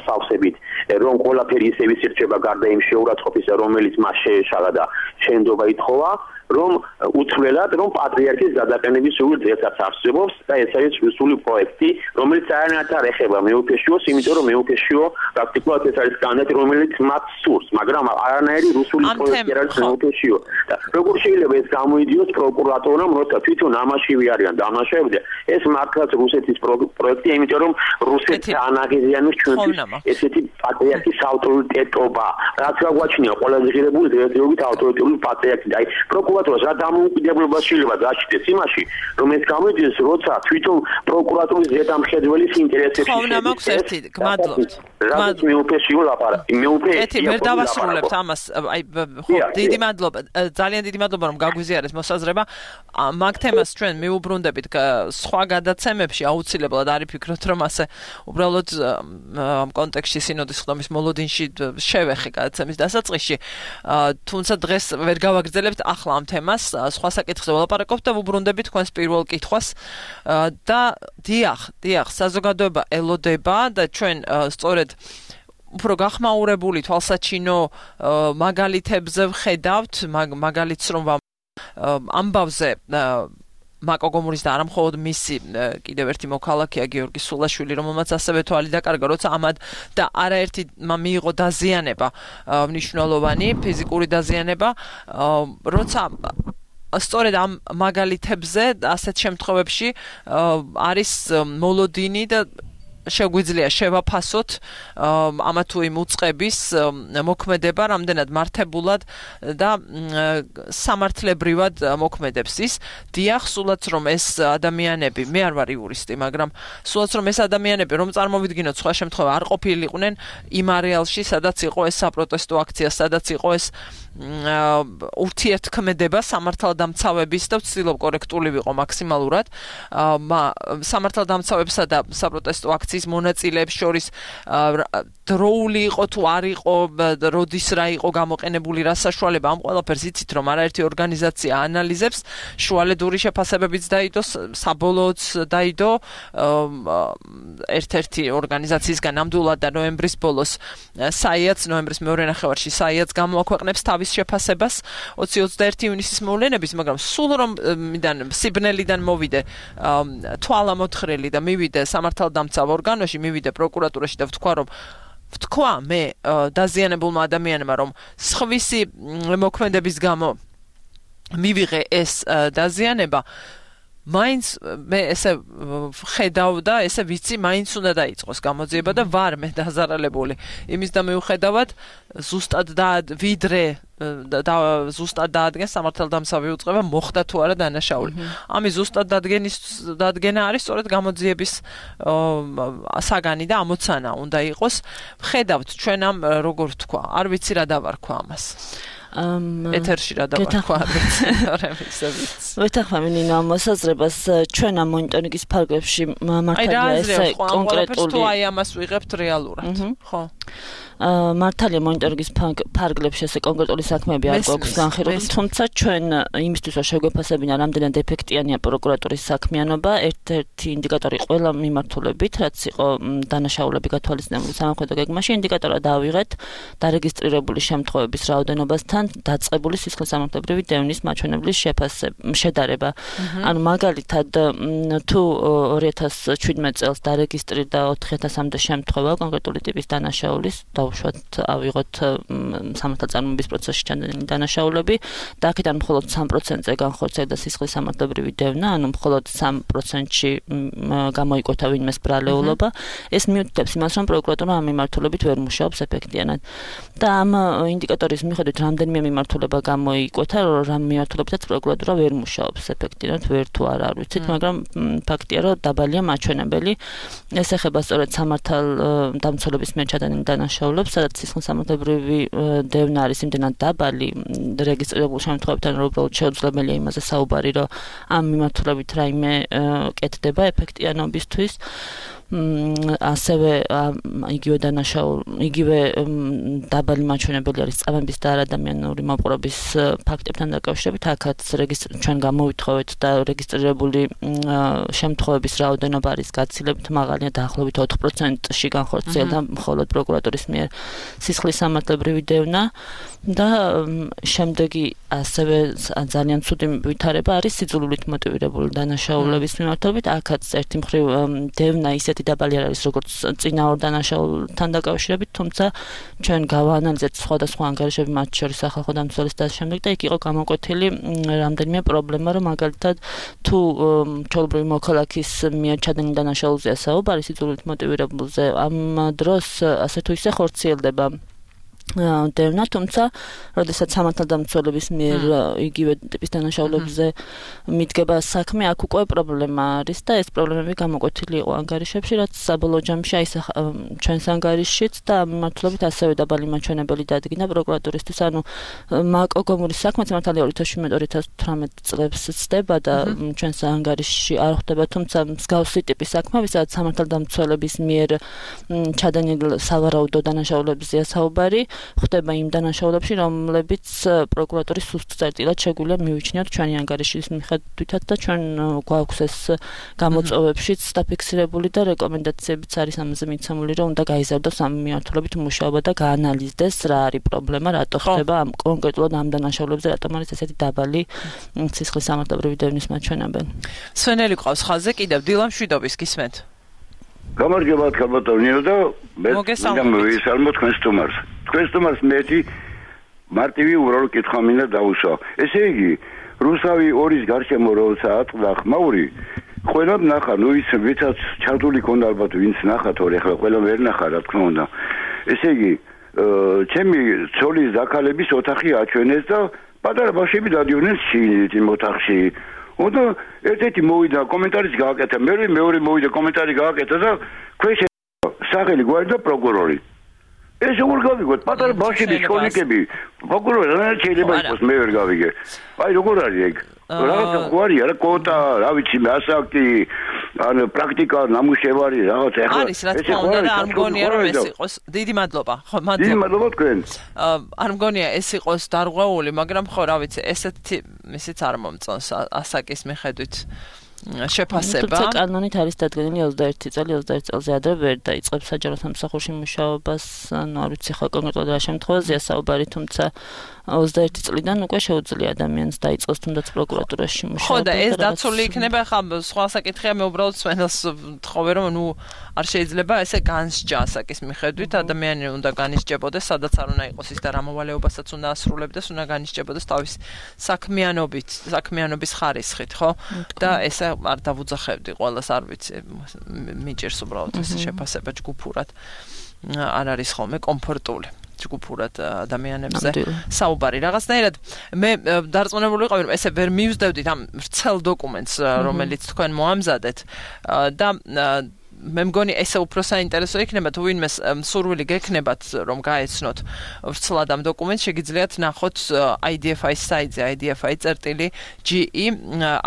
სავსებით, რომ ყველაფერი ისე ვისირჩება გარდა იმ შეურაცხყოფისა, რომელიც მას შეეშალა და შენდობა ითხოვა, რომ უცვლელად რომ პატრიარქის გადაყენების სრული დღესაც არსებობს და ეს არის სრული პროექტი, რომელიც არანაირად არ ეხება მეუფეშიოს, იმიტომ რომ მეუფეშიო პრაქტიკულად ეს არის კანდიდატი, რომელიც მათ სურს, მაგრამ არანაირი რუსული პროექტი არ არის მეუფეშიო. და როგორ შეიძლება ეს გამოიდიოს პროკურატურამ, როცა თვითონ ამაშივე არიან დამნაშავეები, ეს მართლაც რუსეთის პროექტია, იმიტომ რომ რუსეთს აანაღიზიანებს ჩვენთვის ესეთი პატრიარქის ავტორიტეტობა, რაც გაგვაჩნია ყველაზე ღირებული დღესდღეობით ავტორიტეტული პატრიარქი და აი პროკურატურას რა დამოუკიდებლობა შეიძლება გააჩნდეს იმაში, რომ ეს გამოიძიოს, როცა თვითონ პროკურატურის ზედამხედველის ინტერესებში ხონა მაქვს ერთი, გმადლობთ. რაც მეუფეშიო ლაპარაკი, მეუფე ერთი ვერ დავასრულებთ ამას, აი ხო, დიდი მადლობა, ძალიან დიდი მადლობა რომ გაგვიზიარეთ მოსაზრება. მაგ თემას ჩვენ მიუბრუნდებით სხვა გადაცემებში, აუცილებლად არის ფიქრობთ რომ ასე უბრალოდ ამ კონტექსტში სინოდის ხდომის მოლოდინში შევეხე გადაცემის დასაწყისში. თუმცა დღეს ვერ გავაგრძელებთ ახლა ამ თემას, სხვა საკითხზე ვლაპარაკობთ და ვუბრუნდებით თქვენს პირველ კითხვას და დიახ, საზოგადოება ელოდება და ჩვენ სწორედ უფრო გახმაურებული თვალსაჩინო მაგალითებზე ვხედავთ, მაგალითს რომ ამბავზე მაკო გომურის და არა მხოლოდ მისი კიდევ ერთი მოქალაქეა გიორგი სულაშვილი, რომელმაც ასევე თვალი დაკარგა, როცა ამად და არაერთი მიიღო დაზიანება, მნიშვნელოვანი ფიზიკური დაზიანება, როცა სწორედ ამ მაგალითებზე ასეთ შემთხვევებში არის მოლოდინი და შეგვიძლია შევაფასოთ ამა თუ იმ უწყების მოქმედება რამდენად მართებულად და სამართლებრივად მოქმედებს ის. დიახ, სულაც რომ ეს ადამიანები, მე არ ვარ იურისტი, მაგრამ სულაც რომ ეს ადამიანები, რომ წარმოვიდგინოთ სხვა შემთხვევა არ ყოფილიყვნენ იმ არეალში, სადაც იყო ეს საპროტესტო აქცია, სადაც იყო ეს ურთიერთქმედება სამართალდამცავების და ვცდილობ კორექტული ვიყო მაქსიმალურად სამართალდამცავებსა და საპროტესტო აქციის მონაწილეებს შორის დროული იყო თუ არ იყო, როდის რა იყო გამოყენებული, რა საშუალება, ამ ყველაფერს იცით რომ არაერთი ორგანიზაცია ანალიზებს, შუალედური შეფასებებიც დაიდო, საბოლოოც დაიდო ერთ-ერთი ორგანიზაციისგან ნამდვილად და ნოემბრის ბოლოს საიაც, ნოემბრის მეორე ნახევარში საიაც გამოაქვეყნებს თავის შეფასებას 20-21 ივნისის მოვლენების, მაგრამ სულ რომ სიბნელიდან მოვიდე თვალამოთხრელი და მივიდე სამართალდამცავ ორგანოში, მივიდე პროკურატურაში და ვთქვა მე დაზიანებულმა ადამიანმა, რომ სხვისი მოქმედების გამო მივიღე ეს დაზიანება, მაინც მე ესე ხედავ და ესე ვიცი, მაინც უნდა დაიწყოს გამოძიება და ვარ მე დაზარალებული. იმის და მიუხედავად ზუსტად ვიდრე და ზუსტად დაადგენს სამართალდამცავი უწყება მოხდა თუ არა დანაშაული. ამის ზუსტად დადგენა არის სწორედ გამოძიების საგანი და ამოცანა უნდა იყოს. ვხედავთ ჩვენ ამ როგორ თქვა, არ ვიცი რა დავარქვა ამას. ეთერში რა დავარქვა, არ ვიცი, ვეთანხმები ნინო ამ მოსაზრებას, ჩვენ ამ მონიტორინგის ფარგლებში მართალია ესე კონკრეტული აი ამას ვიღებთ რეალურად, ხო? მართალია მონიტორინგის ფარგლებში ესე კონკრეტული საქმეები არ გვაქვს განხილული, თუმცა ჩვენ იმისთვის რომ შეგვეფასებინა რამდენად ეფექტიანია პროკურატურის საქმიანობა, ერთ-ერთი ინდიკატორი ყველა მიმართულებით, რაც იყო დანაშაულები გათვალისწინებული სამხედრო გეგმაში, ინდიკატორად დავიღეთ დარეგისტრირებული შემთხვევების რაოდენობასთან დაწყებული სისხლისამართლებრივი დევნის მაჩვენებლის შედარება. ანუ მაგალითად თუ 2017 წელს დარეგისტრირდა 4000-მდე შემთხვევა კონკრეტული ტიპის დანაშაულის, დავუშვათ ავიღოთ სამართალწარმოების პროცესში ჩანდენილი დანაშაულები და აქედან მხოლოდ 3%-ზე განხორციელდა სისხლისამართლებრივი დევნა, ანუ მხოლოდ 3%-ში გამოიკვეთა ვინმეს ბრალეულობა. ეს მიუთითებს იმას, რომ პროკურატურა ამ მიმართულებით ვერ მუშაობს ეფექტიანად. და ამ ინდიკატორის მიხედვით რამდენიმე მიმართულება გამოიკვეთა, რომ მიმართულებითაც პროკურატურა ვერ მუშაობს ეფექტიანად, ვერ თუ არა არ ვიცით, მაგრამ ფაქტია, რომ დაბალია მაჩვენებელი. ეს ეხება სწორედ სამართალდამცველების მიერ ჩადენილ დანაშაულებს, სადაც სისხლისამართლებრივი დევნა არის იმდენად დაბალი რეგისტრირებულ შემთხვევებთან, რომ უბრალოდ შეუძლებელია იმაზე საუბარი, რომ ამ მიმართულებით რაიმე კეთდება ეფექტიანობისთვის. ასევე იგივე იგივე დაბალი მაჩვენებელი არის წამების და არადამიანური მოპყრობის ფაქტებთან დაკავშირებით. აქაც ჩვენ გამოვითხოვეთ და რეგისტრირებული შემთხვევების რაოდენობა არის გაცილებით მაღალი, დაახლოებით 4%-ში განხორციელდა მხოლოდ პროკურატურის მიერ სისხლისამართლებრივი დევნა და შემდეგი ასევე ძალიან ცუდი ვითარება არის სიძულვილით მოტივირებული დანაშაულების მიმართულებით. აქაც ერთი მხრივ დევნა ისეთი დაბალი არ არის როგორც წინა ორ დანაშაულთან დაკავშირებით, თუმცა ჩვენ გავაანალიზეთ სხვადასხვა ანგარიშები, მათ შორის სახალხო დამცველის და შემდეგ და იქ იყო გამოკვეთილი რამდენიმე პრობლემა, რომ მაგალითად თუ ჩვეულებრივი მოქალაქის მიერ ჩადენილ დანაშაულზეა საუბარი სიძულვილით მოტივირებულზე, ამ დროს ასე თუ ისე ხორციელდება დევნა, თუმცა როდესაც სამართალდამცველების მიერ იგივე ტიპის დანაშაულებზე მიდგება საქმე, აქ უკვე პრობლემა არის და ეს პრობლემები გამოკვეთილი იყო ანგარიშებში, რაც საბოლოო ჯამში აისახა ჩვენს ანგარიშშიც და ამ მიმართულებით ასევე დაბალი მაჩვენებელი დადგინდა პროკურატურისთვის. ანუ მაკოგომურის საქმეც მართალია 2017-2018 წლებს ცდება და ჩვენს ანგარიშში არ ხვდება, თუმცა მსგავსი ტიპის საქმეები, სადაც სამართალდამცველების მიერ ჩადენილ სავარაუდო დანაშაულებზეა საუბარი, ხდება იმ დანაშაულებში, რომლებიც პროკურატურის სუსტ წერტილად შეგვიძლია მივიჩნიოთ ჩვენი ანგარიშის მიხედვითაც და ჩვენ გვაქვს ეს გამოწვევებშიც დაფიქსირებული და რეკომენდაციებიც არის ამაზე მიცემული, რომ უნდა გაიზარდოს ამ მიმართულებით მუშაობა და გაანალიზდეს რა არის პრობლემა, რატო ხდება ამ კონკრეტულად ამ დანაშაულებზე, რატომ არის ესეთი დაბალი სისხლისამართლებრივი დევნის მაჩვენებელი. სვენელი ყავს ხაზზე კიდევ დილა მშვიდობის გისმენთ. გამარჯობა ქალბატონო და მე ვისალმოთ თქვენს სტუმარს. თქვენს სტუმარს მეტი მარტივი უბრალო კითხვა მინდა დავუსვა. ესე იგი, რუსავი ორის გარშემო როცა ატყდა ხმაური, ყველა ნახა, ნუ ის ვიცაც ჩართული ქონდა ალბათ ვინც ნახა თორე ახლა ყველა ვერ ნახა რა თქმა უნდა. ესე იგი, ჩემი ცოლის დაქალების ოთახი აჩვენეს და პატარა ბავშვები დადიოდნენ შინით იმ ოთახში. უნდა ერთ-ერთი მოვიდა კომენტარიც გააკეთა, მეორე მოვიდა კომენტარი გააკეთა და ქვეშ სახელი გვარდა პროკურორი. ეს როგორ გავიგოთ? პატარა ბავშვები, შკოლიკები, პროკურორი რა შეიძლება იყოს, მე ვერ გავიგე. აი როგორ არის ეგ? რაღაცა გვარია რა კოტა, რა ვიცი, ასაკი, ან პრაქტიკა, ნამუშევარი, რაღაც ახლა არის რა თქმა უნდა და არ მგონია რომ ეს იყოს. დიდი მადლობა. ხო, მადლობა. დიდი მადლობა თქვენ. არ მგონია ეს იყოს დარღვეული, მაგრამ ხო, რა ვიცი, ესეთი ისიც არ მომწონს ასაკის მიხედვით. შეფასება. თუმცა კანონით არის დადგენილი 21 წელი, 21 წელზე ადრე ვერ დაიწყებს საჯარო სამსახურში მუშაობას, ანუ არ ვიცი ხო კონკრეტულად რა შემთხვევაზეა საუბარი, თუმცა 21 წლიდან უკვე შეუძლია ადამიანს დაიწყოს თუნდაც პროკურატურაში მუშაობა. ხო და ეს დაცული იქნება, ხა სხვა საკითხია, მე უბრალოდ სვენელს ვთხოვე, რომ ნუ არ შეიძლება ესე განსჯა ასაკის მიხედვით, ადამიანი უნდა განისჯებოდეს, სადაც არ უნდა იყოს ის და რა მოვალეობასაც უნდა ასრულებდეს, უნდა განისჯებოდეს თავის საქმიანობის ხარისხით, ხო? და ესე არ დავუძახებდი ყველას, არ ვიცი, მიჭირს უბრალოდ ეს შეფასება ჯგუფურად. არ არის ხოლმე კომფორტული. ჯგუფურად ადამიანებზე საუბარი. რაღაცნაირად მე დარწმუნებული ვიყავი, რომ ესე ვერ მივსდევდით ამ ვრცელ დოკუმენტს, რომელიც თქვენ მოამზადეთ და მე მგონი ესე უფრო საინტერესო იქნება თუ ვინმე სურვილი გექნებათ რომ გაეცნოთ ვრცლად ამ დოკუმენტს შეგიძლიათ ნახოთ IDFI საიტზე IDFI.ge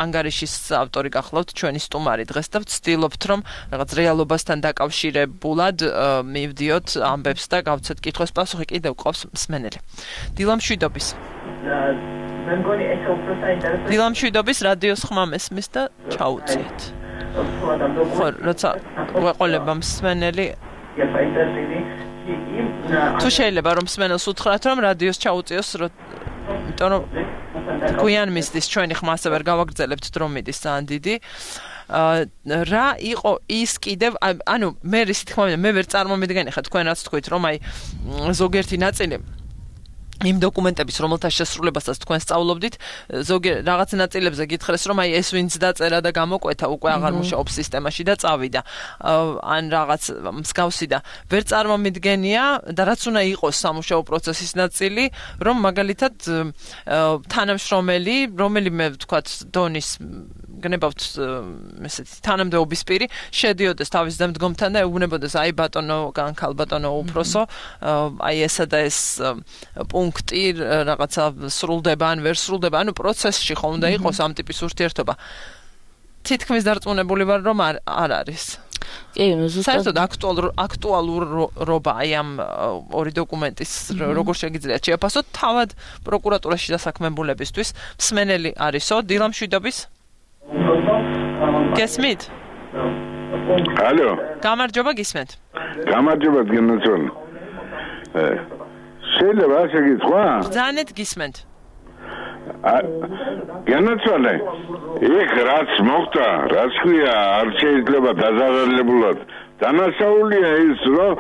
ანგარიშის ავტორი გახლავთ ჩვენი სტუმარი დღეს და ვცდილობთ რომ რაღაც რეალობასთან დაკავშირებულად მივდიოთ ამბებს და გავცეთ კითხვის პასუხი კიდევ ყავს მსმენელი დილამშვიდობის მე მგონი ესე უფრო საინტერესო დილამშვიდობის რადიოს ხმა მესმის და ჩაუწიეთ ხო როცა გვეყოლება მსმენელი თუ შეიძლება რომ მსმენელს უთხრათ რომ რადიოს ჩაუწიოს იმიტომ რომ გვიან მისდის ჩვენი ხმა ასე ვერ გავაგრძელებთ დრო მიდის ძალიან დიდი რა იყო ის კიდევ ანუ მე ისე თქმა მინდა მე ვერ წარმომიდგენი ხა თქვენ რაც თქვით რომ აი ზოგიერთი ნაწილი იმ დოკუმენტების რომელთა შესრულებასაც თქვენ სწავლობდით ზოგი რაღაც ნაწილებზე გითხრეს რომ აი ეს ვინც დაწერა და გამოკვეთა უკვე აღარ მუშაობს სისტემაში და წავიდა ან რაღაც მსგავსი და ვერ წარმომიდგენია და რაც უნდა იყოს სამუშაო პროცესის ნაწილი რომ მაგალითად თანამშრომელი რომელიმე ვთქვათ დონის გნებავთ ესეთი თანამდებობის პირი შედიოდეს თავის დამდგომთან და ეუბნებოდეს აი ბატონო განქალბატონო უფროსო აი ესა და ეს პუნქტი რაღაცა სრულდება ან ვერ სრულდება ანუ პროცესში ხომ უნდა იყოს ამ ტიპის ურთიერთობა თითქმის დარწმუნებული ვარ რომ არ არის კი ზუსტად აქტუალურობა აი ამ ორი დოკუმენტის როგორ შეგიძლიათ შეაფასოთ თავად პროკურატურაში დასაქმებულებისთვის მსმენელი არისო დილამშვიდობის გესმით? ალო. გამარჯობა გისმენთ. გამარჯობა გენაცვალ. შეიძლება ასე გითხრა? ბრძანეთ გისმენთ. გენაცვალე. იქ რაც მოხდა, რაც ქვია, არ შეიძლება დაზარალებულად. დანაშაულია ის, რომ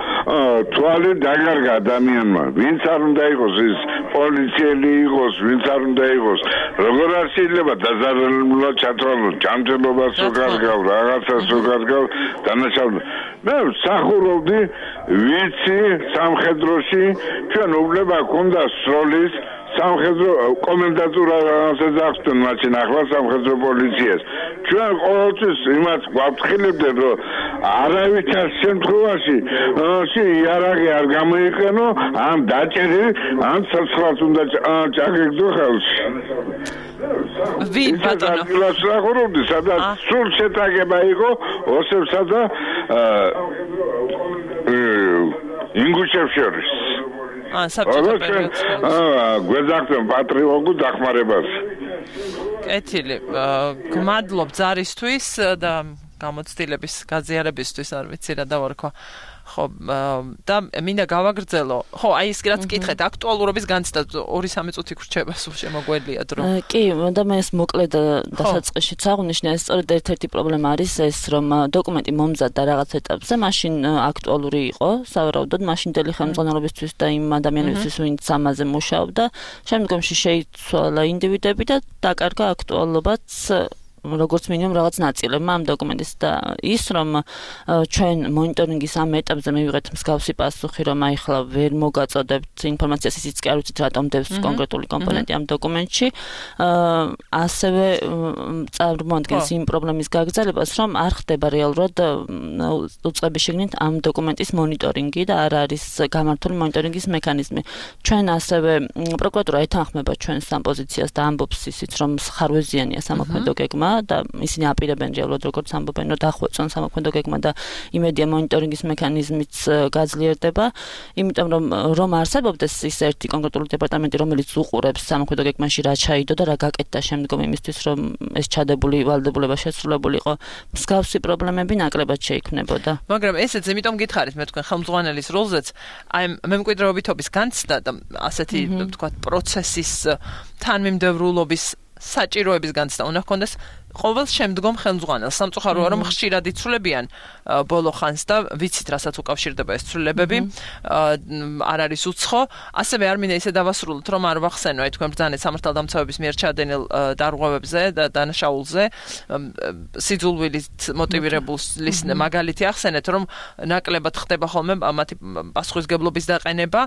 თვალი დაგარგა ადამიანმა. ვინც არ უნდა იყოს ის პოლიციელი იყოს, ვინც არ უნდა იყოს. როგორ არ შეიძლება დაზარალებულად ჩათვალოს, ჯანმრთელობას უკარგავ, რაღაცას უკარგავ, დანაშაულია. მე ვსახურობდი ვიცი სამხედროში, ჩვენ უფლება გვქონდა სროლის სამხედრო კომენდატურაზე დაახსნან მაშინ ახლა სამხედრო პოლიციას. ჩვენ ყოველთვის იმას გვაფრთხილებდნენ, რომ არავითარ შემთხვევაში იარაღი არ გამოიყენო, ან დაჭერი, ან ცოცხლად უნდა ჩაგეგდო ხელში. ვინ ბატონო? ვსახურობდი, სადაც სულ შეტაკება იყო ოსებსა და ინგუშებს შორის. საბჭოთა პერიოდს. გვეძახდნენ პატრიოტულ დახმარებას. კეთილი. გმადლობ ზარისთვის და გამოცდილების გაზიარებისთვის, არ ვიცი რა დავარქვა. ხო, და მინდა გავაგრძელო. ხო, აი ის რაც კითხეთ, აქტუალურობის განცდა 2-3 წუთი გრჩება, სულ შემოგველია დრო. კი, და მე ეს მოკლედ დასაწყისშიც აღვნიშნე, ეს სწორედ ერთ-ერთი პრობლემა არის ეს, რომ დოკუმენტი მომზადდა რაღაც ეტაპზე, მაშინ აქტუალური იყო, სავარაუდოდ, მაშინდელი ხელმძღვანელობისთვის და იმ ადამიანებისთვის, ვინც ამაზე მუშაობდა, შემდგომში შეიცვალა ინდივიდები და დაკარგა აქტუალობაც როგორც მინიმუმ რაღაც ნაწილებმა ამ დოკუმენტის და ის რომ ჩვენ მონიტორინგის ამ ეტაპზე მივიღეთ მსგავსი პასუხი რომ აი ხლა ვერ მოგაწოდებთ ინფორმაციას ისიც კი არ ვიცით რატომ დევს კონკრეტული კომპონენტი ამ დოკუმენტში ასევე წარმოადგენს იმ პრობლემის გაგრძელებას რომ არ ხდება რეალურად უწყების შიგნით ამ დოკუმენტის მონიტორინგი და არ არის გამართული მონიტორინგის მექანიზმი ჩვენ ასევე პროკურატურა ეთანხმება ჩვენს ამ პოზიციას და ამბობს ისიც რომ ხარვეზიანია სამოქმედო გეგმა და ისინი აპირებენ რეალურად როგორც ამბობენ რომ დახვეწონ სამოქმედო გეგმა და იმედია მონიტორინგის მექანიზმიც გაძლიერდება იმიტომ რომ არსებობდეს ის ერთი კონკრეტული დეპარტამენტი რომელიც უყურებს სამოქმედო გეგმაში რა ჩაიდო და რა გაკეთდა შემდგომ იმისთვის რომ ეს ჩადებული ვალდებულება შესრულებულიყო მსგავსი პრობლემები ნაკლებად შეიქმნებოდა მაგრამ ესეც იმიტომ გითხარით მე თქვენ ხელმძღვანელის როლზეც აი მემკვიდრეობითობის განცდა და ასეთი თქვა პროცესის თანმიმდევრულობის საჭიროების განცდა უნდა ჰქონდეს ყოველ შემდგომ ხელმძღვანელს სამწუხაროა რომ ხშირად იცვლებიან ბოლო ხანს და ვიცით რასაც უკავშირდება ეს ცვლილებები არ არის უცხო ასევე არ მინდა ისე დავასრულოთ რომ არ ვახსენო აი თქვენ ბრძანეთ სამართალდამცავების მიერ ჩადენილ დარღვევებზე და დანაშაულზე სიძულვილით მოტივირებულის მაგალითი ახსენეთ რომ ნაკლებად ხდება ხოლმე მათი პასუხისგებლობის დაყენება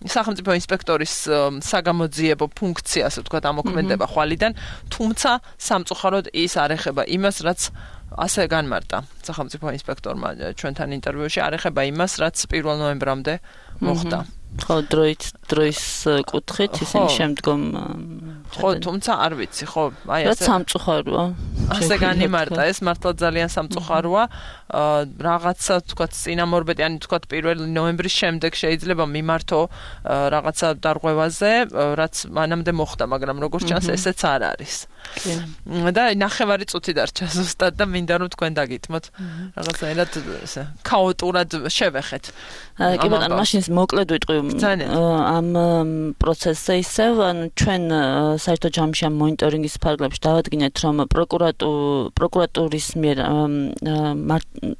სახელმწიფო ინსპექტორის საგამოძიებო ფუნქცია ასე ვთქვათ ამოქმედება ხვალიდან თუმცა სამწუხაროდ ის არ ეხება იმას, რაც ასე განმარტა სახელმწიფო ინსპექტორმა ჩვენთან ინტერვიუში, არ ეხება იმას, რაც 1 ნოემბრამდე მოხდა. ხო, დროის კუთხით ისინი შემდგომ ხო, თუმცა არ ვიცი, ხო, აი ასე სამწუხაროა. ასე განიმარტა, ეს მართლა ძალიან სამწუხაროა. რაღაცა თქვათ წინამორბედი, ანუ თქვათ 1 ნოემბრის შემდეგ შეიძლება მიმართო რაღაცა დარღვევაზე, რაც მანამდე მოხდა, მაგრამ როგორც ჩანს ესეც არ არის. და 9 წუთი დარჩა ზუსტად და მინდა რომ თქვენ დაგითმოთ რაღაცაერად ესე ქაოტურად შევეხეთ. კი ბატონო, მაშინ მოკლედ ვიტყვი ამ პროცესზე ისევ, ანუ ჩვენ საერთო ჯამში ამ მონიტორინგის ფარგლებში დავადგინეთ, რომ პროკურატურის მიერ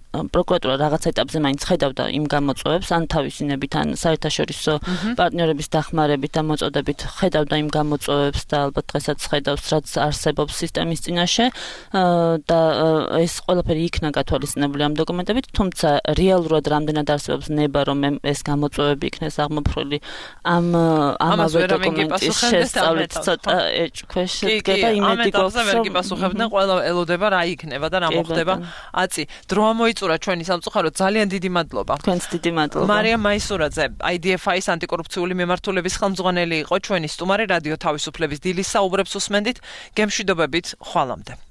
პროკურატურა რაღაც ეტაპზე მაინც ხედავდა იმ გამოწვევებს, ან თავისინებით, ან საერთაშორისო პარტნიორების დახმარებით და მოწოდებით ხედავდა იმ გამოწვევებს და ალბათ დღესაც ხედავს, რაც არსებობს სისტემის წინაშე და ეს ყველაფერი იქნა გათვალისწინებული ამ დოკუმენტებით, თუმცა რეალურად რამდენად არსებობს ნება, რომ ეს გამოწვევები იქნეს აღმოფხვრილი ამავე დოკუმენტის შესწავლით ცოტა ეჭქვეშ შედგება იმედი გვაქვს, რომ გიპასუხებდნენ, ყველა ელოდება რა იქნება და რა მოხდება. აწი, დრო მოიწურა ჩვენი სამწუხაროდ, ძალიან დიდი მადლობა. თქვენს დიდი მადლობა. მარიამ მაისურაძე, IDFI-ის ანტიკორუფციული მემართულების ხელმძღვანელი იყო ჩვენი სტუმარი, რადიო თავისუფლების დილის საუბრებს უსმენდით. გემშვიდობებით, ხვალამდე.